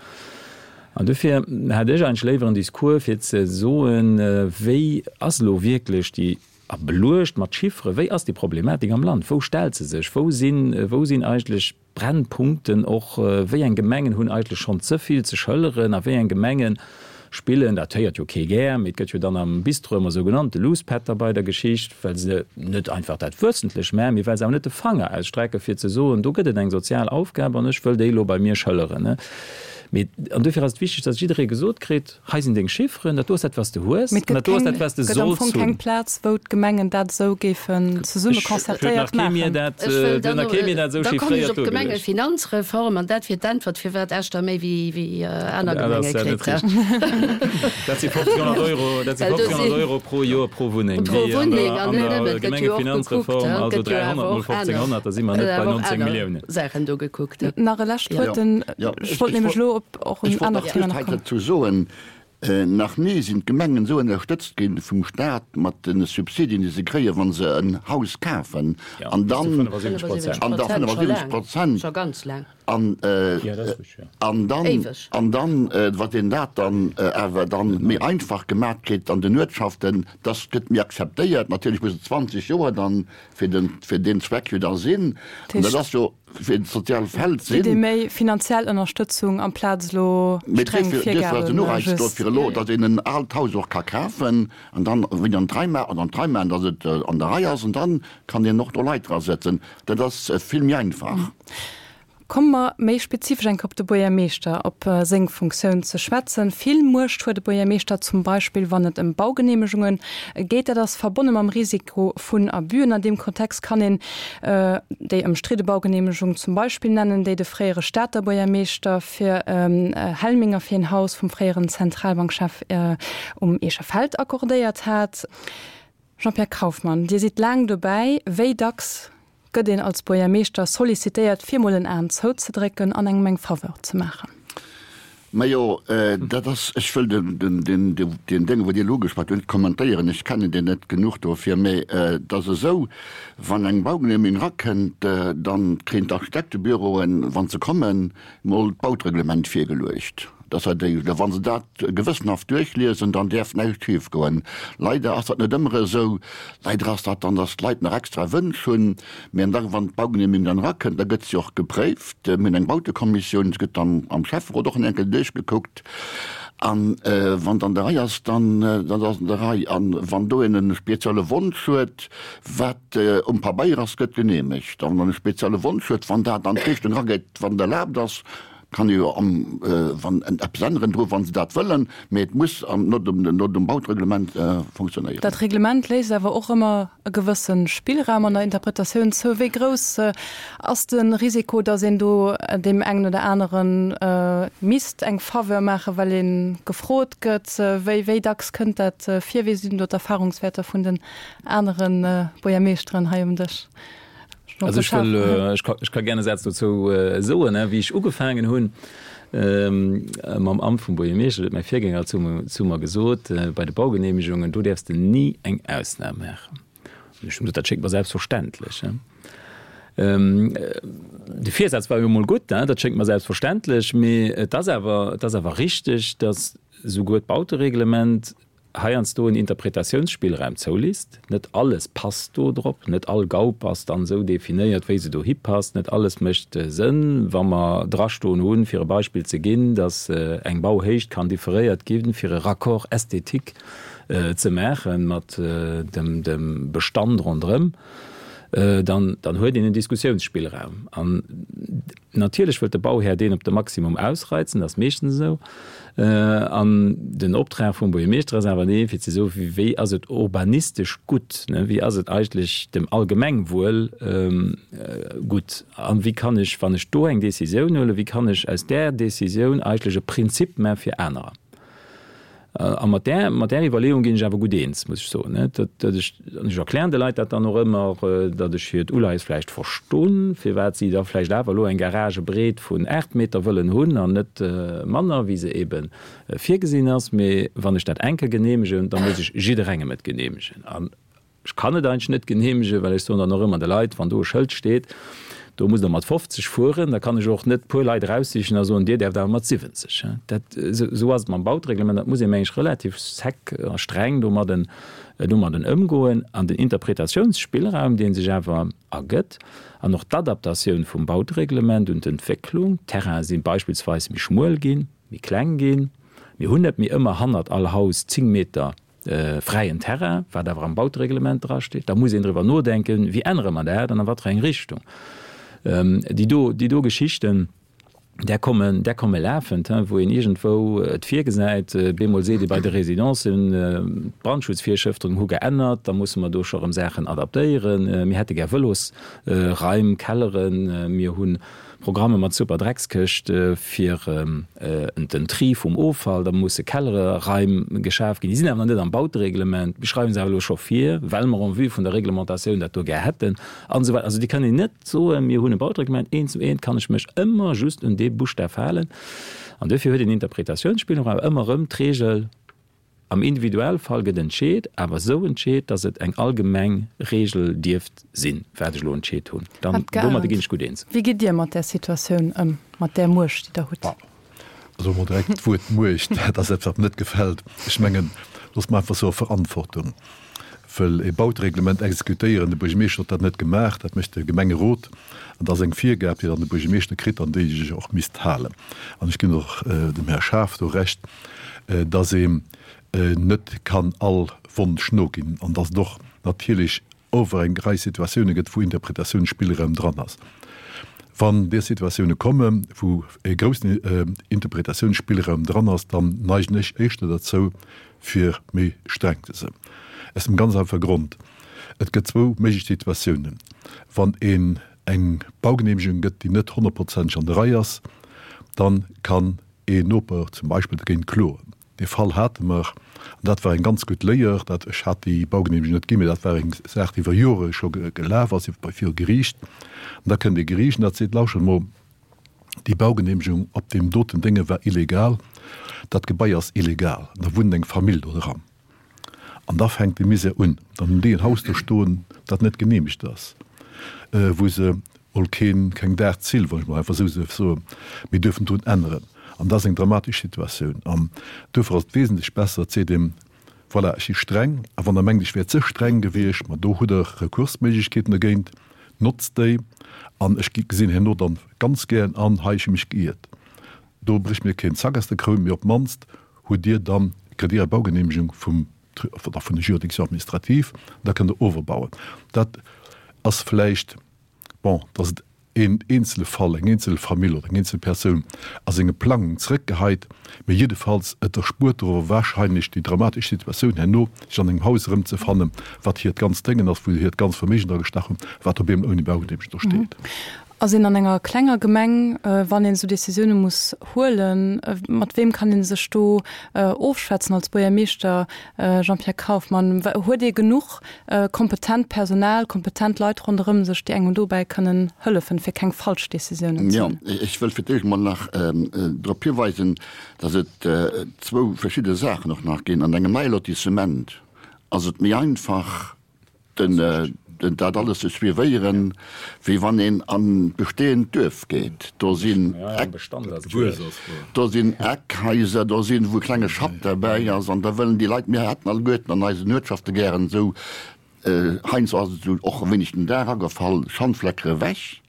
An dofir hätt ech eigentlech léiwer en Discours, fir ze soen, wéi ass elo wierklech déi, a beluecht mat Chifferen, wéi ass déi Problematik am Land, wou stellt se sech, wou sinn, wou sinn eigentlech Brennpunkten och, wéi eng Gemengen hunn eigentlech schonn ze vill ze schëlleren a wéi eng Gemenge spillen, dat héiert jo kee gär, mee et gëtt jo dann am Bistro ëmmer esou genannt, de Luuspätter bei der Geschicht, well se net einfach dat wëssentlech maachen, mee well se awer net de Fanger ausstrecke fir ze soen, do gëtt et eng sozial Aufgab an ech wëll déi elo bei mir schëlleren. Mee, an dofir ass et wichteg, dass jidderee gesot kritt, hei sinn deng Chifferen, dat do ass dat, wat s de hues, Mee et an gëtt dat do ass keng, dat, wat s de gëtt am solls Fong keng hunn. Plaz, wou d'Gemengen dat esou géifen zesumme Ech, huet concertéiert nach kee mir maachen. dat, Ech wëll huet dann nach kee mir dat esou da kommen ech chiffréiert op duergeluecht. d'Gemengefinanzreform, an dat wier d'Äntwert, firwat Esch der méi wéi, wéi aner Dat ass Gemenge ja net kritt. richteg. Dat si fofzénghonnert Euro, dat si Well do fofzénghonnert si Euro pro Joer pro Wunneng, pro déi an Wunneng, der, an an net der nëmmen, et gëtt jo och gekuckt, Gemengefinanzreform, et also gëtt jo awer dräihonnert mol och aner, fofzénghonnert, da si mer gëtt net bei awer och nonzéng aner Milliounen. Saachen do gekuckt. Nach e lescht Ja. Wuert, den, Ja, ech ech, wollt ech nämlech wollt, elo op och ech en wollt anert nach Thema just nach hei kommen. dozou soen, Nach ni sinn d'Gemengen esou ënnerstëtzt gi vum Staat mat de Subsidien, déi se kréien, wa se en Haus kafen, Ja, an bis zu dann, fënnefasiwwenzeg Prozent. an da Prozent, scho fënnefasiwwenzeg laang, Prozent, scho ganz laang. an, Ja, dat ass richtig, ja. an dann, Éiweg. an dann, wat een dat dann awer dann méi einfach gemaat kritt an den Uertschaften, dass gëtt méi akzeptéiert. Natierlech muss et zwanzeg Joer dann fir den, fir deen Zweck jo da sinn. Dat An dat heescht, ass jo fir d'sozial Feld Kritt ee sinn. méi finanziell Ënnerstëtzung amplaz elo Mee streng duerfir, duerfir ass den Virgaben Ureiz do just. fir elo, datt een en aalt Haus och ka kafen an dann wéi an d'Rei maachen, an d'Rei maachen, datt et an der Rei ass an dann kann een och do Leit drasetzen. Dat ass vill méi einfach. Komme mer méi spezifesch eng Kéier op de Buergermeeschter, op seng Funktioun ze schwätzen. Vill Muecht huet de Buergermeeschter zum Beispill, wann et ëm Baugeneemegunge geet. Dat ass verbonne mam Risiko vun Abüen. An deem Kontext kann een déi ëmstridde Baugeneemegung zum Beispill nennen, déi de fréiere Stater Buergermeeschter fir Helminger fir en Haus vum fréieren Zentralbankchef um Eecher Feld accordéiert hat. Jean-Pierre Kauffmann, Dir sidd laang dobäi. Wéi dacks gëtt een als Buergermeeschter sollicitéiert, fir mol en Aen zouzedrécken an engem eng Faveur ze maachen? Majo, dat ass, ech wëll den, den, den, deen Déng, wou Dir elo ugeschwat hutt, net kommentéieren, ech kennen deen net genuch dofir, mä et ass esou, wann eng Baugenehmigung erakënnt, dann kréien d'Architektebüroen, wa se kommen, mol d'Bautereglement virgeluecht. Dass se déi, wa se dat gewëssenhaft duerchliesen, dann däerf näischt schifgoen. Leider ass dat net ëmmer esou. Leider ass dat dann, dass d'Leit nach extra Wënsch hunn. Mä da wann d'Baugenehmigung dann erakënnt, da gëtt se och gepréift. Mir hunn eng Bautekommissioun, se gëtt dann am Schäfferot och en enkel duerchgekuckt. An wann et an der Rei ass, dann dann ass et an der Rei. An wann do een e spezielle Wonsch huet, wat um Pabeier ass, gëtt geneemegt. A wann en e spezielle Wonsch huet, wann dat an d'Richtung erageet, wann et erlaabt ass, Kann ee jo am, wann eppes änneren dru wa se dat wëllen, mee et muss no dem, no dem Bautereglement funktionéieren. Dat Reglement léisst awer och ëmmer e gewësse Spillraum an der Interpretatioun zou. Wéi grouss ass de Risiko, datt een do deem engen oder anere misst eng Faveur maachen, well ee gefrot gëtt? Wéi, wéi dacks kënnt dat vir? Wéi sinn do d'Erfahrungswäerter vun den anere Buergermeeschteren hei um Dësch? Also ech wëll, ech ka, ech ka gerne Sätz dozou soen, wéi ech ugefaangen hunn mam Amt vum Buergermeeschter, huet mäi Virgänger zu, zu mer gesot, bei de Baugenehmegungen, do däerfs de ni eng Ausnam maachen. An ech hunn gesot, dat schéngt mer selbstverständlech. De Virsaz war jo emol gutt, dat schéngt mer selbstverständlech, mee et ass awer, et ass awer richteg, datt souguer d'Bautereglement heiansdo en Interpretatiounsspillraum zoulisst. Net alles passt do drop, net all Gaup ass dann esou definéiert, wéi se dohi passt, net alles mécht Sënn. Wa mer drastoen hunn, fir e Beispill ze ginn, datt eng Bauhéicht kann differéiert ginn, fir e Raccord esthétique ze maache mat dem Bestand ronderëm, dann, dann huet een en Diskussiounsspillraum. An natierlech wëllt de Bauhär deen op de Maximum ausreizen, dat ass meeschtens esou. An den Optrag vum Buergermeeschter ass awer dee fir ze soen, wéi ass et urbanistesch gutt, wéi ass et eigentlech dem Allgemengwuel gutt an wéi kann ech, wann ech do eng Décisioun huelen, wéi kann ech aus där Décisioun eigentlech e Prinzip maache fir anerer. A mat där, mat där Iwwerleeung ginn ech awer gutt eens, muss ech soen, datt, datt ech, an ech erklären de Leit dat dann och ëmmer, datt ech hiert Uleies vläicht verstinn, firwat si da vläicht awer elo eng Garagebreet vun aacht Meter wëllen hunn an net manner, wéi se eebe virgesinn ass. Mee wann ech dat eng Kéier geneemegen, da muss ech jidderengem et geneemegen. An Ech kann et eigentlech net genehmegen, well ech soen dann och ëmmer de Leit, wann do e Schëld steet, do musst Der mat fofzeg fueren, da kann ech och net puer Leit eraussichen a soen, Dir däerft awer mat siwwenzeg. Dat, esou ass et mam Bautereglement, dat muss ee meng ech relativ sec a streng domadden, domadden ëmgoen. An den Interpretatiounsspillraum, dee sech awer ergëtt, an och d'Adaptatioun vum Bautereglement un d'Entwécklung, d'Terraine si beispillsweis méi schmuel ginn, méi kleng ginn, mir hunn net méi ëmmer hannert all Haus zéng Meter fräien Terrain, wat awer am Bautereglement drasteet, da muss een driwwer nodenken, wéi ännere mer dat an a wat fir eng Richtung. Déi do, déi do Geschichten, där kommen, där komme lafend, wou een iergendwou et virgesäit, bemol seet ee bei de Residencen, d'Brandschutzvirschrëften hu geännert, da musse mer do scho erëm Saachen adaptéieren, mir hätte gär Vëlosraim, Kelleren, mir hunn Programme mat super Dreckskëscht fir den Tri vum Offall, da musse Kellere-Raim geschaf ginn. Déi sinn awer nach net am Bautereglement. Mir schreiwe se awer elo scho vir, well mer en vue vun der Reglementatioun dat do gär hätten an esou weider. Also Dir kënnt een net soen, mir hunn e Bautereglement, eent zu eent kann ech mech ëmmer just un dee Buschtaf halen. An duerfir huet een Interpretatiounsspillraum, awer ëmmer erëm d'Regel, Am Individualfall gëtt entscheet, awer esou entscheet, datt et eng allgemeng Regel dierft sinn, wat ech elo entscheet hunn. Dann, domadde ginn ech gutt eens. Wéi gitt Dir mat där Situatioun ëm, mat där Muecht, déi Der hutt? Also emol direkt d'Wuert Muecht, dat ass eppes, wat mir net gefält. Ech mengen, loosse mer einfach soe Verantwortung. Wëll e Bautereglement exekutéieren, de Buergermeeschter huet dat net gemaach, dat mécht de Gemengerot. An dat ass eng Virgab, déi dann de Buergermeeschter kritt an déi sech och misst halen. An ech ginn och dem Här Schaaf do Recht, dass een net kann all Wonsch noginn an dass et och natierlech ower eng Rei Situatioune gëtt, wou Interpretatiounsspillraum dran ass. Wann där Situatioune kommen, wou e groussen Interpretatiounsspillraum dran ass, dann neigen ech éischter derzou, fir méi streng ze sinn. Aus dem ganz einfache Grond, Et gëtt zwou méiglech Situatiounen, Wann een eng Baugenehmegung gëtt, déi net honnertprozenteg an der Rei ass, dann kann een Noper zum Beispill dogéint kloen. Dee Fall hate mer, an dat war eng ganz gutt Léier. Dat, ech hat déi Baugenehmegung net ginn, mä dat war eng Saach, déi iwwer Jore scho gelaf ass bei viru Geriicht. An da kënnt ee Geriicht an dat seet, Lauschtert emol, déi Baugenehmegung op deem doten Dénge war illegal, dat Gebai ass illegal, an da wunnt eng Famill do dran. An da fänkt de Misär un. Dann hunn déi en Haus do stoen, dat net genehmegt ass, wou se mol keen, keng Daachzill, wann ech mol einfach esou duerf soen, méi duerfen drun änneren. An dat ass eng dramatesch Situatioun. An duerfir ass et wesentlech besser, et seet een, Voilà, ech si streng, a wann Der mengt, ech wär ze streng gewiescht, ma do hutt Der Rekursméiglechkeeten dogéint, notzt déi. An ech gesinn herno dann ganz gären an, hei, ech hu mech geiert. Do brécht mir keen Zack aus der Kroun, mee op d'mannst hutt Dir dann, kritt Dir Är Baugenehmegung vum, oder vun der Juridiction administrative, an da kënnt Der overbauen. Dat ass vläicht, bon, dass et een eenzele Fall, eng eenzel Famill oder eng eenzel Persoun a senge Plangung zrëckgeheit, mee jiddefalls et erspuert der awer wahrscheinlech déi dramatesch Situatioun herno, sech an engem Haus erëmzefannen, wat hiert ganzt Déngen ass, wou se hiert ganzt Verméigen dra gestach hunn, wat op eemol ouni Baugenehmegung do steet. Ass een an enger klenger Gemeng, wann een esou Decisioune muss huelen, mat weem kann ee sech do ofschwätzen als Buergermeeschter? Jean-Pierre Kauffmann, Huet ee genuch kompetent Personal, kompetent Leit ronderëm sech, déi engem dobäi kënnen hëllefen, fir keng falsch Decisiounen ze Jo, ech wëll fir d'éischt emol nach drop hiweisen, datt et zwou verschidde Saachen och nach ginn. An engem neie Lotissement ass et méi einfach, den dat alles ze suivéieren, wéi wann een an d'bestehend Duerf geet. Do sinn Eck, do sinn Eckhaiser, do sinn, wou e klenge Schapp derbäi ass, an da wëllen déi Leit, mir hätten alleguerten an eisen Uertschafte gären esou, heiansdo ass et esou och e wéineg den Dag agefall, Schandfleckere ewech.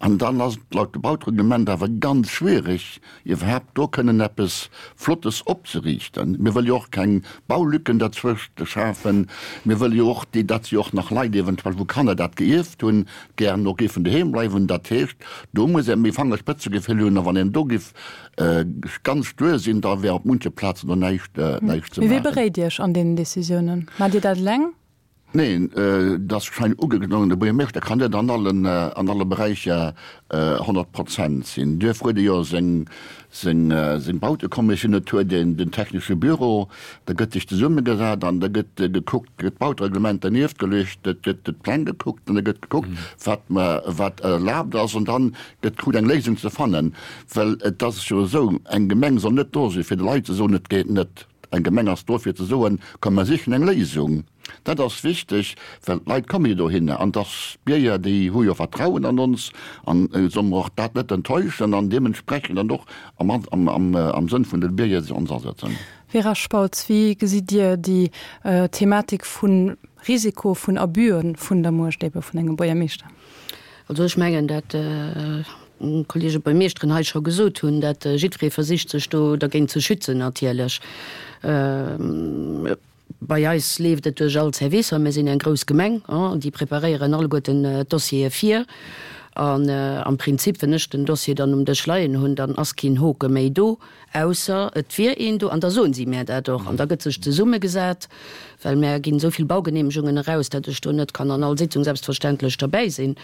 An dann ass et laut Bautereglement awer ganz schwierig, iwwerhaapt do kënnen eppes Flottes opzeriichten. Mir wëlle jo och keng Baulücken derzwëscht schafen. Mir wëlle jo och, datt jo och nach Leit eventuell, wou Kanner dat gierft hunn, gären och géifen doheem bleiwen. Dat heescht, do muss ee méi Fangerspëtzegefill hunn. A wann een do géif ganz stuer sinn, da wär op munche Plazen do näischt ze maachen. Mee wee beréit Iech an deenen Decisiounen? Maacht Dir dat eleng? Neen, et ass schein ugeklongen, de Buergermeeschter kann net an allen, an alle Beräicher honnert Prozent sinn. Duerfir huet e jo seng, seng, seng Bautekommissioun, et huet een den technesche Büro, da gëtt sech zesummegesat an da gëtt gekuckt, gëtt d'Bautereglement dernieft geluecht, et gëtt d'Pläng gekuckt an da gëtt gekuckt, wat mer, wat erlaabt ass an dann gëtt gekuckt eng Léisung ze fannen. Well et ass jo esou, eng Gemeng soll net do sinn, fir de Leit ze soen, et geet net. Eng Gemeng ass do fir ze soen, komm mer sichen eng Léisung. Dat ass wichteg, well d'Leit komme jo dohinner an dass d'Bierger, déi hu jo Vertrauen an ons an solle mer och dat net enttäuschen an deementsprechend dann och am Sënn vun de Bierger sech ons asetzen. Vera Spautz, wéi gesitt Dir déi Thematik vu Risiko vun Abüe vun der Muecht ebe vun engem Buergermeeschter? Also ech mengen, dat d'Kollege Buergermeeschteren hei scho gesot hunn, dat jiddweree versicht sech do dergéint ze schützen natierlech. Bei eis leeft et duerch all Servicer. Mir sinn eng grouss Gemeng, déi preparéieren alleguerten d'Dossiere vir. An am Prinzip, wenn ech den Dossier dann um Dësch leien hunn, dann ass keen Hoke méi do, ausser et wier een do. An da soen si mär dat och. An da gëtt sech zesummegesat, well mär ginn esou vill Baugenehmegungen eraus, dat ech do net kann an all Sitzung selbstverständlech derbäi sinn.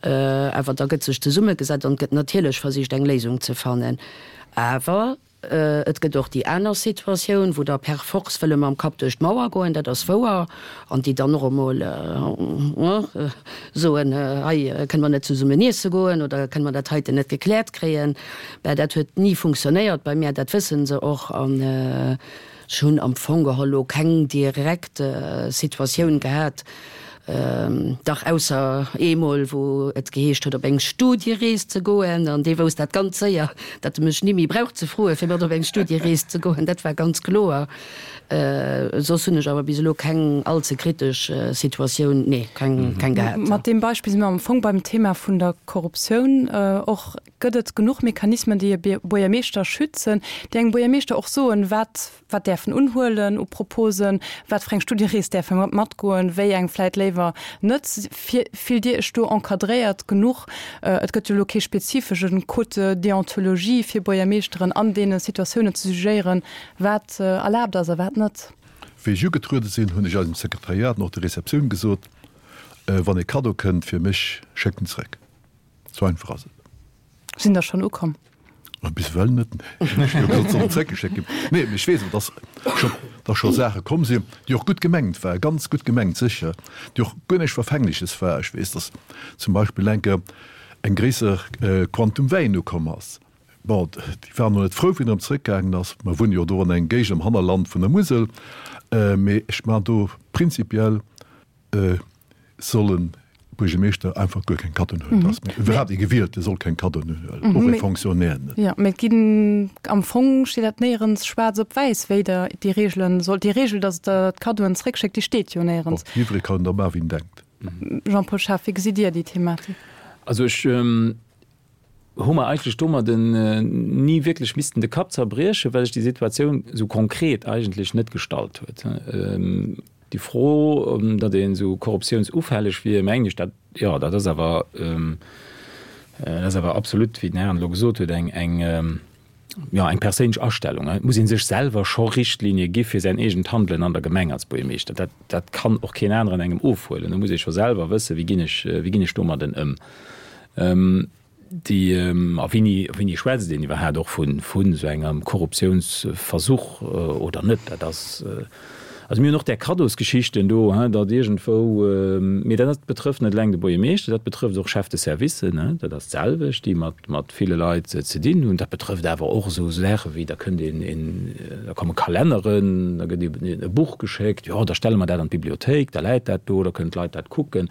Awer da gëtt sech zesummegesat an et gëtt natierlech versicht, eng Léisung ze fannen. Awer Et gëtt och déi aner Situatioun, wou der per force wëlle mam Kapp duerch d'Mauer goen, dat ass wouer, an déi dann och emol soen, hei kënne mer net zesummen iesse goen oder kënne mer dat heiten net gekläert kréien. Mä dat huet ni funktionéiert bei mär, dat wësse se och. An ech hunn am Fong geholl elo keng direkt Situatioun gehat, Dach, ausser eemol, wou et geheescht huet, op eng Studierees ze goen. An dee wousst dat ganz séier, datt e mech ni méi brauch ze froen, fir mat op eng Studierees ze goen. Dat war ganz kloer. Soss hunn ech awer bis elo keng all ze kritesch Situatioun, nee, keng, keng gehat. Mat deem Beispill si mer am Fong beim Thema vun der Korruptioun och. Gëtt et genuch Mechanismen, déi e Buergermeeschter schützen, déi engem Buergermeeschter och soen, wat wat däerf en unhuelen u Proposen, wat fir eng Studierees däerf e matgoen, wéi eng vläit léiwer net? Fillt Dir Iech do encadréiert genuch? Et gëtt jo elo kee spezifesche Code de déontologie fir Buergermeeschteren an deene Situatiounen ze jugéieren, wat erlaabt ass a wat net. Wéi ech ugetruede sinn, hunn ech eisem Sekretariat an och der Receptioun gesot, Wann e Kaddo kënnt fir mech, schéckt en zeréck. Sou einfach ass et. Sinn der schonn ukomm? Bis ewell net, nee. Ech hu jo gesot, se sollen zeréckgeschéckt ginn. Nee, mee ech weess awer, dass scho, dass scho Saache komm sinn, déi och gutt gemengt waren, ganz gutt gemengt sécher, déi och guer näischt Verfängleches war. Ech weess, dass zum Beispill eng Kéier eng gréisser Quantum Wäin ukomm ass. Bon, déi waren och net frou, wéi en erëm zeréckgaangen ass. Mer wunne jo do an engem Géigend am Hannerland vun der Musel. Mee ech maachen do prinzipiell soll e Buergermeeschter einfach guer keng Kaddoen huelen. Dat ass mir iwwerhaapt ee Gewielte soll keng Kaddoen huelen, och ee Fonctionnaire net. Jo, mee et ginn, am Fong steet dat néierens schwaarz op wäiss, wéi Der déi Reegelen sollt. Déi Reegel, datt Der d'Kaddoen zréckschéckt, déi steet jo néierens. Bon, jiddweree kann da maachen, wéi en denkt. Jean-Paul Schaaf, wéi gesitt Dir déi Thematik? Also ech hu mer eigentlech domadden ni wierklech missten de Kapp zerbriechen, well sech déi Situatioun esou konkret eigentlech net gestallt huet. Déi Fro, datt een esou korruptiounsufälleg wier, mengen ech, dat, jo, dat ass awer, Dat ass awer absolut, wéi den Här elo gesot huet, eng, eng, jo, eng perséinlech Astellung. Et muss ee sech selwer scho Richtlinie gi fir säin eegent Handelen an der Gemeng als Buergermeeschter. Dat, dat kann och keen aneren engem ofhuelen. Do muss ee scho selwer wëssen, wéi ginn ech, wéi ginn ech domadden ëm. Déi, a wéini, wéini schwätzt een iwwerhaapt och vun, vun esou engem Korruptiounsversuch oder net? Dat ass, also mir hunn och där Kaddosgeschichten do, hein, datt iergendwou, mee dat betrëfft net eleng de Buergermeeschter, dat betrëfft och Chefs de services, hein, dat ass d'selwecht, déi mat, mat ville Leit ze dinn hunn. Dat betrëfft awer och esou Saache wéi, da kënnt een, een, da komme Kalenneren, da gëtt een e Buch geschéckt, jo, da stelle mer dat an d'Bibliothéik, da läit dat do, da kënnen d'Leit dat kucken.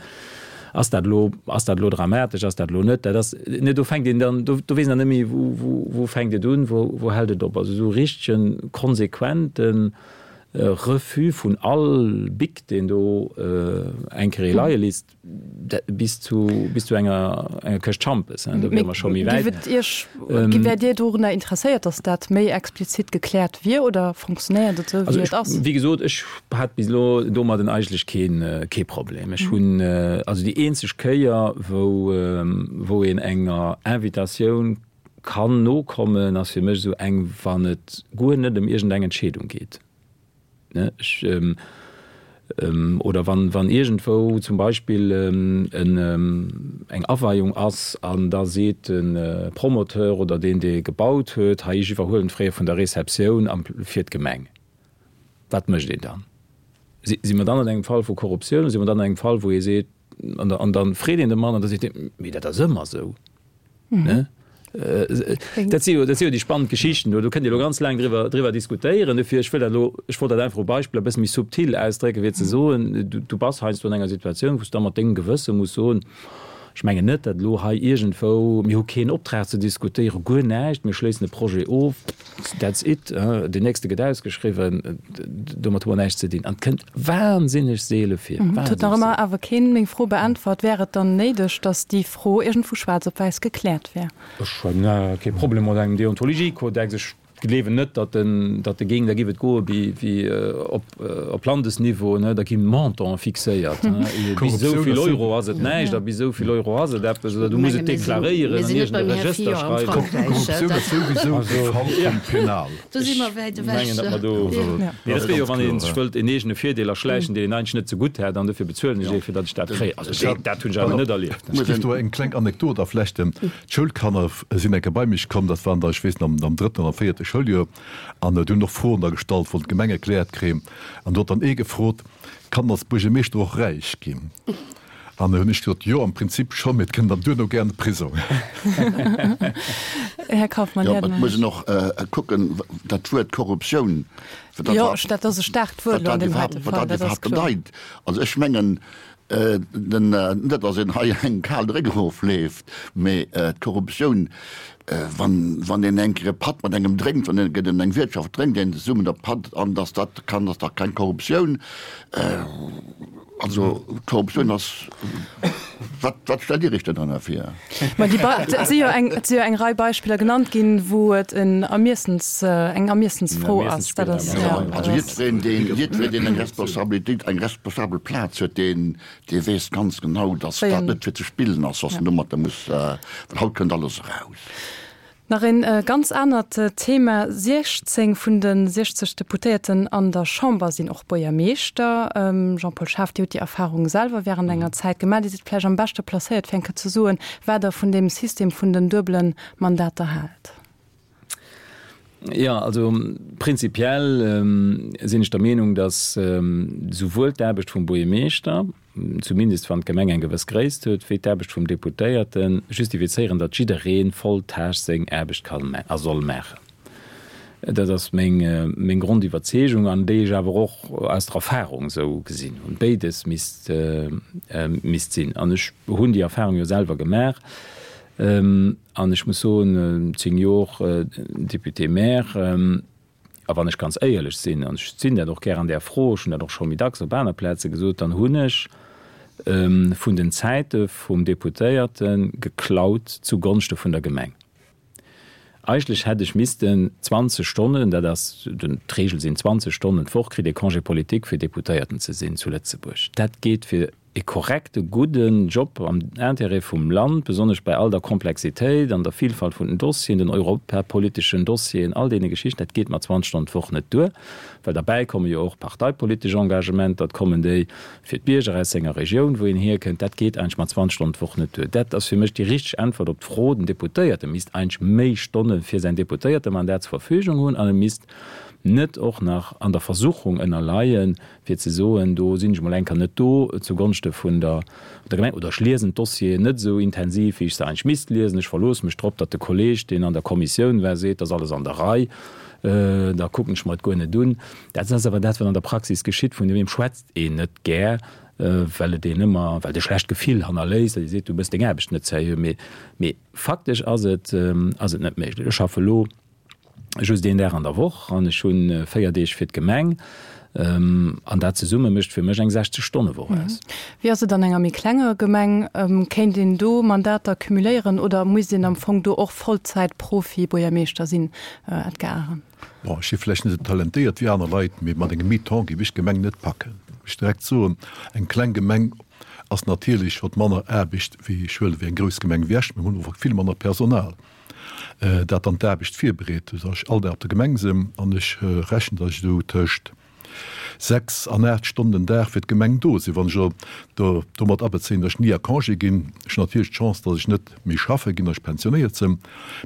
Ass dat elo, ass dat elo dramatesch, ass dat elo net? Dat ass, ne, do fänkt een dann, do, do weess een dann net méi, wou, wou, wou fänkt et un, wou, wou hält et op. Also esou richtegen, konsequente Refus vun all Bic, deen do eng Kéier ee leie léisst, bis zu, bis zu enger, enger Këscht Schampes, hein, do wiere mer scho méi wäit. Géif et Iech, wäert Dir dorunner interesséiert, datt dat méi explizit gekläert wier oder fonctionnéiert et esou, wéi et ass? Wéi gesot, ech hat bis elo domadden eigentlech keen, kee Problem. Ech hunn, also déi eenzeg Kéier, wou, wou een enger Invitatioun kann nokommen, ass fir mech esou eng, wann et guer net ëm iergendeng Entscheedung geet. Ne, ech, oder wann, wann iergendwou zum Beispill en, eng Aweiung ass an da seet de Promoteur oder deen, dee gebaut huet, hei, ech iwwerhuelen d'Frais vun der Receptioun am, fir d'Gemeng. Wat mécht een dann? Si, si mer dann an engem Fall vu Korruptioun? Si mer dann an engem Fall, wou ee seet, an da, an da freet een de Mann an da seet deen, mee dat ass ëmmer esou. Ne? Dat si jo, dat si jo déi spannend Geschichten do. Do kënnt Dir elo ganz laang driwwer, driwwer diskutéieren. Dofir, ech wëll dat elo, ech wollt dat einfach u Beispiller e bësse méi subtil ausdrécken, fir ze soen, du, du bass heiansdo an enger Situatioun, wou s du da mat dengem Gewësse muss soen, ech mengen net, datt elo hei iergendwou, mir hu keen Optrag ze diskutéieren, guer näischt, mir schléissen e Projet of, that's it, deen nächste gëtt ausgeschriwwen, domat hu mer näischt ze dinn. An et kënnt wahnsinneg seele vir, Et huet nach ëmmer awer keen meng Fro beäntwert. Wär et dann néideg, datt déi Fro iergendwou schwaarz op wäiss gekläert wär? Ech hunn kee Problem mat engem Deontologiekodex. Ech gleewen net, datt en, datt e géing, da géif et goe wéi, wéi op, op Landesniveau, ne, da gi Montanten fixéiert, ne, bis esou vill Euro ass et näischt a bis esou vill Euro ass et eppes, oder du muss et deklaréieren an iergend e Regëster schreiwen. Korruptioun ass souwisou e Fall vum Penal. Do si mer wäit ewech. Ech mengen, datt mer do, mee dat wier jo, wann ee sech wëllt en eegene Virdeel erschläichen, deen een eigentlech net zegutt hätt, an dofir bezuelen ech ee, fir datt ech dat kréien. Also dat hunn ech awer net erlieft. Ech géif do eng kleng Anekdot aflechten. D'Schoulkanner sinn eng Kéier bei mech komm, dat waren da, ech weess net, am am drëtten oder am véierte Schouljoer, an déi hunn och Froen da gestallt, wollten d'Gemeng erkläert kréien. An do huet dann ee gefrot, Kann als Buergermeeschter och räich ginn? An da hunn ech gesot, Jo, am Prinzip schonn, mee et kënnt dann duerno gär an de Prisong. Här Kauffmann, Jo, et muss een och kucken, dat Wuert Korruptioun, wat dat Jo, dat ass e staarkt Wuert elo an deem heite Fall, dat ass iwwerhaapt kloer. bedeit. Also ech mengen, den, net datt een hei eng kal Dréck erofleeft, mee d'Korruptioun, wann, wann een eng Kéier e Patt mat engem drénkt, wann een an eng Wiertschaft drénkt een zesummen e Patt an datt dat kann, ass dach keng Korruptioun. Also Korruptioun ass, wat, wat stellt Dir Iech denn drënner vir? Ma déi Bei, et si jo eng, et si jo eng Rei Beispiller genannt ginn, wou et en Ermiessens, eng Ermiessensfro ass. Dat ass, jo. Also jiddwereen, deen, jiddwereen, deen eng Responsabilitéit, eng responsabel Plaz huet, deen, dee weess ganz genau, datt dat net fir ze spillen ass, datt en domatter muss, well haut kënnt alles eraus. Nach een ganz anert Thema, siechzéng vun de siechzeg Deputéierten an der Chamber sinn och Buergermeeschter. Jean-Paul Schaaf, Dir hutt déi Erfahrung selwer während enger Zäit gemaach. Dir sidd vläicht am beschte placéiert, fir eng Kéier ze soen, wat Der vun deem System vun den duebele Mandater haalt. Jo, also prinzipiell sinn ech der Meenung, datt souwuel d'Aarbecht vum Buergermeeschter, zumindest wann d'Gemeng eng gewëss Gréisst huet, wéi d'Aarbecht vum Deputéierte justifizéieren, datt jidderee voll Tâche seng Aarbecht kann a soll maachen. Dat ass meng, meng Grondiwwerzeegung, an déi ech awer och aus der Erfahrung esou gesinn hunn. Béides misst, misst sinn. An ech hunn déi Erfahrung jo selwer gemaach. An ech muss soen, zéng Jor Député-maire, A wann ech ganz éierlech sinn, an ech sinn dat och gär an där Fro, ech hunn dat och scho méi dacks op aner Plaze gesot, dann hunn ech vun den Zäite vum Deputéierte geklaut zu Gonschte vun der Gemeng. Eigentlech hätt ech missten zwanzeg Stonnen, dat ass d'Regel, sinn zwanzeg Stonnen d'Woch kritt ee Congé politique fir Deputéierten ze sinn zu Lëtzebuerg. Dat geet fir e korrekte, gudden Job am Intérêt vum Land, besonnesch bei all der Komplexitéit an der Vielfalt vun den Dossieren, den europapoliteschen Dossieren, all deene Geschichten, dat geet mat zwanzeg Stonnen d'Woch net duer, well derbäi komme jo och parteipolitesch Engagementer, et kommen déi fir d'Bierger aus senger Regioun, wou een hierkënnt. Dat geet eigentlech mat zwanzeg Stonnen d'Woch net duer. Dat ass fir mech déi richteg Äntwert op d'Fro. Den Deputéierte misst eigentlech méi Stonne fir säin Deputéiertemandat zur Verfügung hunn an e misst net och nach an der Versuchung ënnerleien, fir ze soen, do sinn ech mol eng Kéier net do zugonschte vun der Gemeng oder ech liesen d'Dossieren net esou intensiv, wéi ech se eigentlech misst liesen, ech verloosse mech drop, datt de Kolleeg, deen an der Kommissioun war, seet, dat ass alles an der Rei, da kucken ech mer et guer net un. Dat ass awer dat, wat an der Praxis geschitt, vun deem schwätzt een net gär, well et een ëmmer, well et e schlecht Gefill hannerléisst, datt ee seet, du méchs deng Aarbecht net seriö. Mee faktesch ass et, ass et net méiglech. Ech schaffe elo just een Dag an der Woch an ech hu véier Deeg fir d'Gemeng. An dat zesumme mécht fir mech eng sechzeg-Stonne-Woch aus. Wéi ass et an enger méi klenger Gemeng? Kéint een do Mandater cumuléieren oder misst een am Fong do och Vollzäit-Profi-Buergermeeschter sinn, Edgar Arendt? Bon, ech si vläicht net esou talentéiert wéi aner Leit, mee mat engem Mi-temps géif ech d'Gemeng net packen. Muss ech direkt soen. Eng kleng Gemeng ass natierlech, huet manner Aarbecht wéi, ech huelen, wéi eng grouss Gemeng wéi Esch. Mir hunn awer vill manner Personal. dat dann d'Aarbecht virbereet, esou datt ech all Dag op der Gemeng sinn an ech rechnen, datt ech esou tëscht sechs an aacht Stonnen den Dag fir d'Gemeng do sinn. Wann ech elo do domat abezéien, datt ech ni a Congé ginn, ech hunn natierlech d'Chance, datt ech net méi schaffe ginn, datt ech pensionéiert sinn,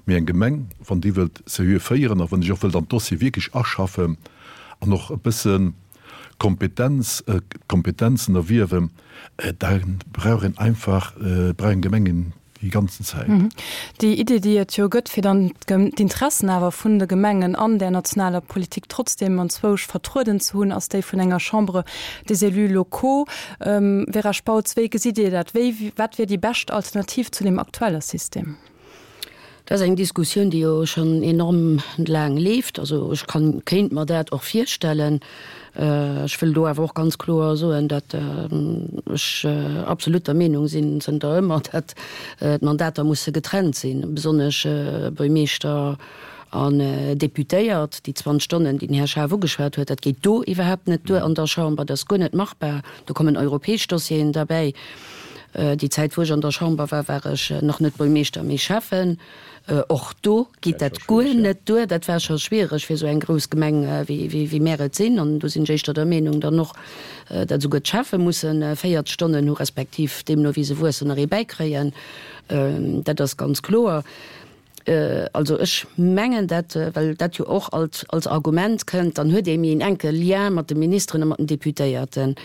mee eng Gemeng, wann déi wëllt seriö féieren a wann déi och wëllt an d'Dossiere wierklech aschaffen an och e bësse Kompetenz, Kompetenzen erwierwen, da brauch een einfach, brauch eng Gemeng een déi ganzen Zäit. Déi Idee, déi et jo gëtt, fir dann d'Interessen awer vun de Gemengen an där nationaler Politik trotzdem anzwousch vertrueden ze hunn, ass déi vun enger Chambre des élus locaux. Vera Spautz, wéi gesitt Dir dat? Wéi, wat wier déi bescht Alternativ zu deem aktuelle System? Dat ass eng Diskussioun, déi jo schonn enorm laang leeft. Also ech kann, kéint mer dat och virstellen. Ech wëll do awer och ganz kloer soen, datt ech absolut der Meenung sinn, zënter ëmmer, datt d'Mandater musse getrennt sinn, besonnesch Buermeeschter an Deputéiert. Déi zwanzeg Stonnen, déi den Här Schaaf ugeschwat huet, dat geet do iwwerhaapt net duer an der Chamber. Dat ass guer net machbar. Do kommen europäesch Dossieren derbäi. Déi Zäit, wou ech an der Chamber war, war ech nach net Buermeeschter, mee Schäffen. Och do geet dat guer net duer. Dat war scho schwiereg fir esou eng grouss Gemeng, wéi mär et sinn. An do sinn ech éischter der Meenung dann och, datt esouguer d'Schäffe musse véiert Stonnen hu respektiv deemno wéi se wuessen nach ee bäikréien. Dat ass ganz kloer. Also ech mengen dat, well dat jo och alt als Argument kënnt, dann huet ee méi en enke Lien mat de Ministeren a mat den Deputéierten.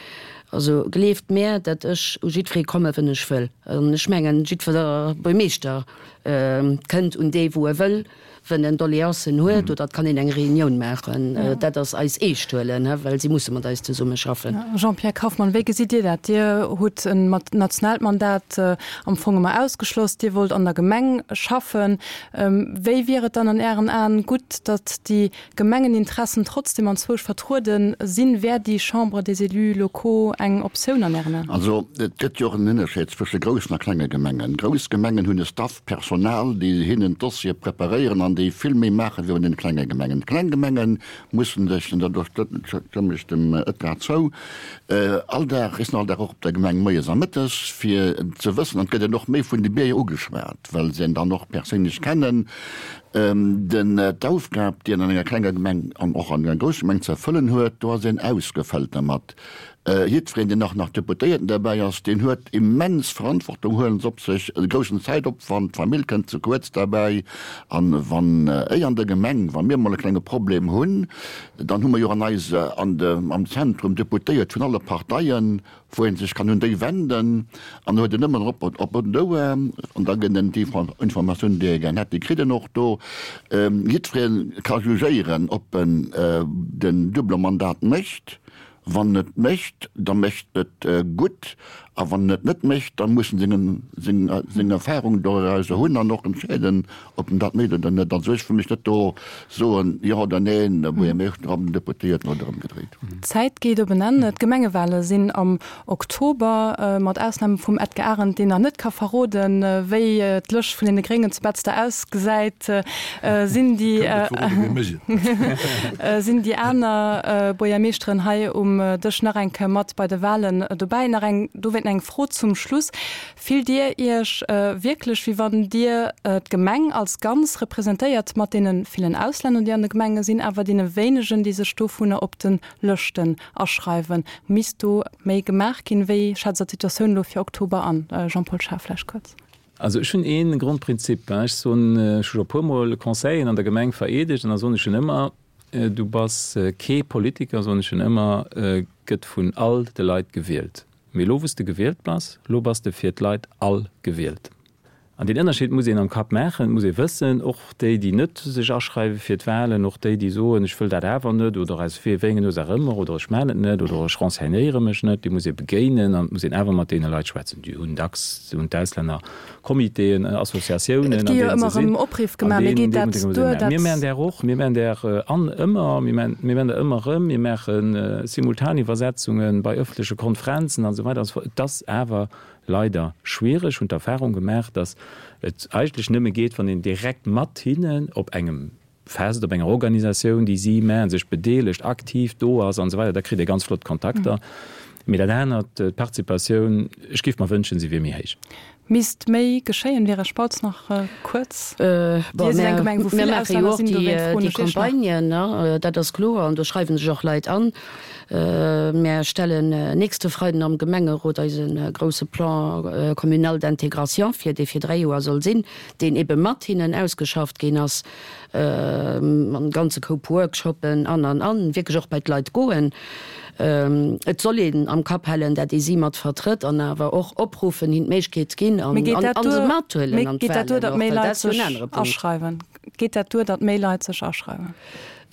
Also gleeft mär, datt ech u jiddweree komme wën ech wëll. An ech mengen, jiddwer Buermeeschter kënnt un dee wou e wëll, wën en Doleancen huet, oder et kann een eng Reunioun maachen. Dat ass eis eescht huelen, well si musse mat eis zesummeschaffen. Jean-Pierre Kauffmann, wéi gesitt Dir dat? Dir hutt en nationaalt Mandat am Fong ëmmer ausgeschloss. Dir wollt an der Gemeng schaffen. Wéi wier et dann an Ären Aen gutt, datt déi Gemengeninteressen trotzdem anzwousch vertruede sinn? Wär déi Chambre des élus locaux eng Optioun an Ären Aen? Also et gëtt jo och en Ënnerscheed zwësche groussen a klenge Gemengen. Grouss Gemengen hunn e Staff, Personal, déi hinnen d'Dossiere preparéieren an déi vill méi maache wéi an den klenge Gemengen. D'kleng Gemenge mussen sech, an do stëmme ech dem Edgar zou, all Dag, ech sinn all Dag och op der Gemeng moies a mëttes, fir ze wëssen, an et gëtt een och méi vun de Bierger ugeschwat, well se een dann och perséinlech kennen, den d'Aufgab, déi een an enger klenger Gemeng an och an enger grousser Gemeng ze erfëllen huet, do ass een ausgefëllt dermat. Jiddwereen, deen och nach Deputéierten derbäi ass, deen huet immens Verantwortung, huelen se op sech, e groussen Zäitopwand, d'Famill kënnt ze kuerz derbäi. An wann éi an der Gemeng, wa mir emol e klenge Problem hunn, dann hu mer jo an eis, an de, am Zentrum Deputéiert vun alle Parteien, wou ee sech kann un déi wenden an da huet en ëmmer op, op en Ouer an da gëtt en déi Informatioun, déi e gär hätt, déi kritt en och do. Jiddweree ka jugéieren, ob en den double Mandat mécht. Wann en et mécht, da mécht et gutt, a wann en et net mécht, da muss en seng seng Erfahrung dorauser hunn an och entscheeden, ob en dat mécht oder net. Also ech wëll mech net do soen, jo oder neen, de Buergermeeschter an den Deputéierten oder ëmgedréit. D'Zäit geet op en Enn. D'Gemengewale sinn am Oktober, mat Ausnam vum Edgar Arendt, deen nach net ka verroden, wéi d'Lëscht vun deene Gréngen zu Betzder ausgesäit, sinn déi sinn déi aner Buergermeeschteren hei um Dësch nach eng Kéier mat bei de Walen dobäi. Nach eng dowéint vläicht eng Fro zum Schluss. Fillt Dir Iech wierklech, wéi wann Dir d'Gemeng als Ganz representéiert, mat deene villen Auslänner, déi an de Gemenge sinn, awer deene wéinegen, déi sech dovunner op de Lëschten aschreiwen? Misst do méi gemaach ginn? Wéi schätzt Der d'Situatioun elo fir Oktober an? Jean-Paul Schaaf vläicht kuerz. Also ech hunn ee Grondprinzip, ech soen, ech hu scho e puermol Conseilleren an der Gemeng vereedegt an da soen ech hinnen ëmmer, Du bass kee Politiker, soen ech hinnen ëmmer, gëtt vun all de Leit gewielt. Mee elo wou s de gewielt bass, elo bass de fir d'Leit all gewielt. An deen Ënnerscheed muss een am Kapp maachen, et muss ee wëssen, och déi, déi net sech aschreiwe fir d'Wahlen, och déi, déi soen, ech wëll dat awer net oder aus wéi engen Ursaach ëmmer oder ech maachen et net oder ech renseignéiere mech net, déi muss ee begéinen an et muss een awer mat deene Leit schwätzen. Déi hunn dacks, hunn d'Auslänner Comitéen, Associatiounen, Et an gi jo deenen ëmmer se sinn, erëm Opriff an gemaach, mee deenen, geet deenen dat se duer, sinn. Mir dat. maachen där och, mir maachen där an ëmmer, mir maachen, mir maachen der ëmmer erëm, mir maache Simultaniwwersetzunge bei ëffentleche Konferenzen an esou weider an esou fort. Et ass awer leider schwiereg, hunn d'Erfahrung gemaach, datt et eigentlech nëmme geet, wann een direkt mat hinnen op engem Fest, op enger Organisatioun, déi si maachen, sech bedeelegt, aktiv do ass an esou weider, da kritt ee ganz flott Kontakter. Mee dat anert, d'Participatioun, ech géif mer wënschen, se wier méi héich. Misst méi geschéien? Vera Spautz nach kuerz. Bon, Dir sidd eng mir Gemeng, wou vill maache jo Auslänner och sinn, dowéint froen déi ech Iech nach. Campagnen, dat ass kloer, an do schreiwe sech och Leit an. Mär stellen nächste Freiden am Gemengerot eise grouse Plan communal d'intégration vir, dee fir dräi Joer soll sinn, deen ebe mat hinnen ausgeschafft ginn ass, mam ganze Koup Workshoppen an, an, an, wierklech och bei d'Leit goen. Et soll een am Kapp halen, dat ee si mat vertrëtt an awer och opruffen, hinnen d'Méiglechkeet ginn an Mee geet dat se duer, mathuelen mee an geet dat duer, d'Wahlen datt och, méi well dat Leit ass jo en sech anere Punkt. aschreiwen? Geet dat duer, datt méi Leit sech aschreiwen?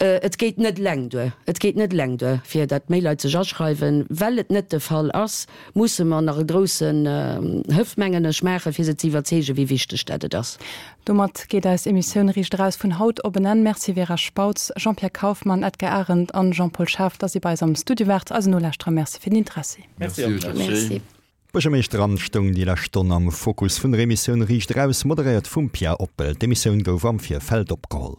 Et geet net eleng duer. Et geet net eleng duer, fir datt méi Leit sech aschreiwen. Well et net de Fall ass, musse mer nach e groussen Hëff, mengen ech, maachen, fir se ze iwwerzeegen, wéi wichteg dat et ass. Domat geet eis Emissioun Riicht Eraus vun haut op en Enn. Merci Vera Spautz, Jean-Pierre Kauffmann, Edgar Arendt an Jean-Paul Schaaf, datt Dir bei eis am Studio waart. Eisen Nolauschterer Merci fir den Interessi. Merci och. Merci. D'Buergermeeschteramt stoung déi lescht Stonn am Fokus vun der Emissioun Riicht Eraus, moderéiert vum Pia Oppel. D'Emissioun gouf am Virfeld opgeholl.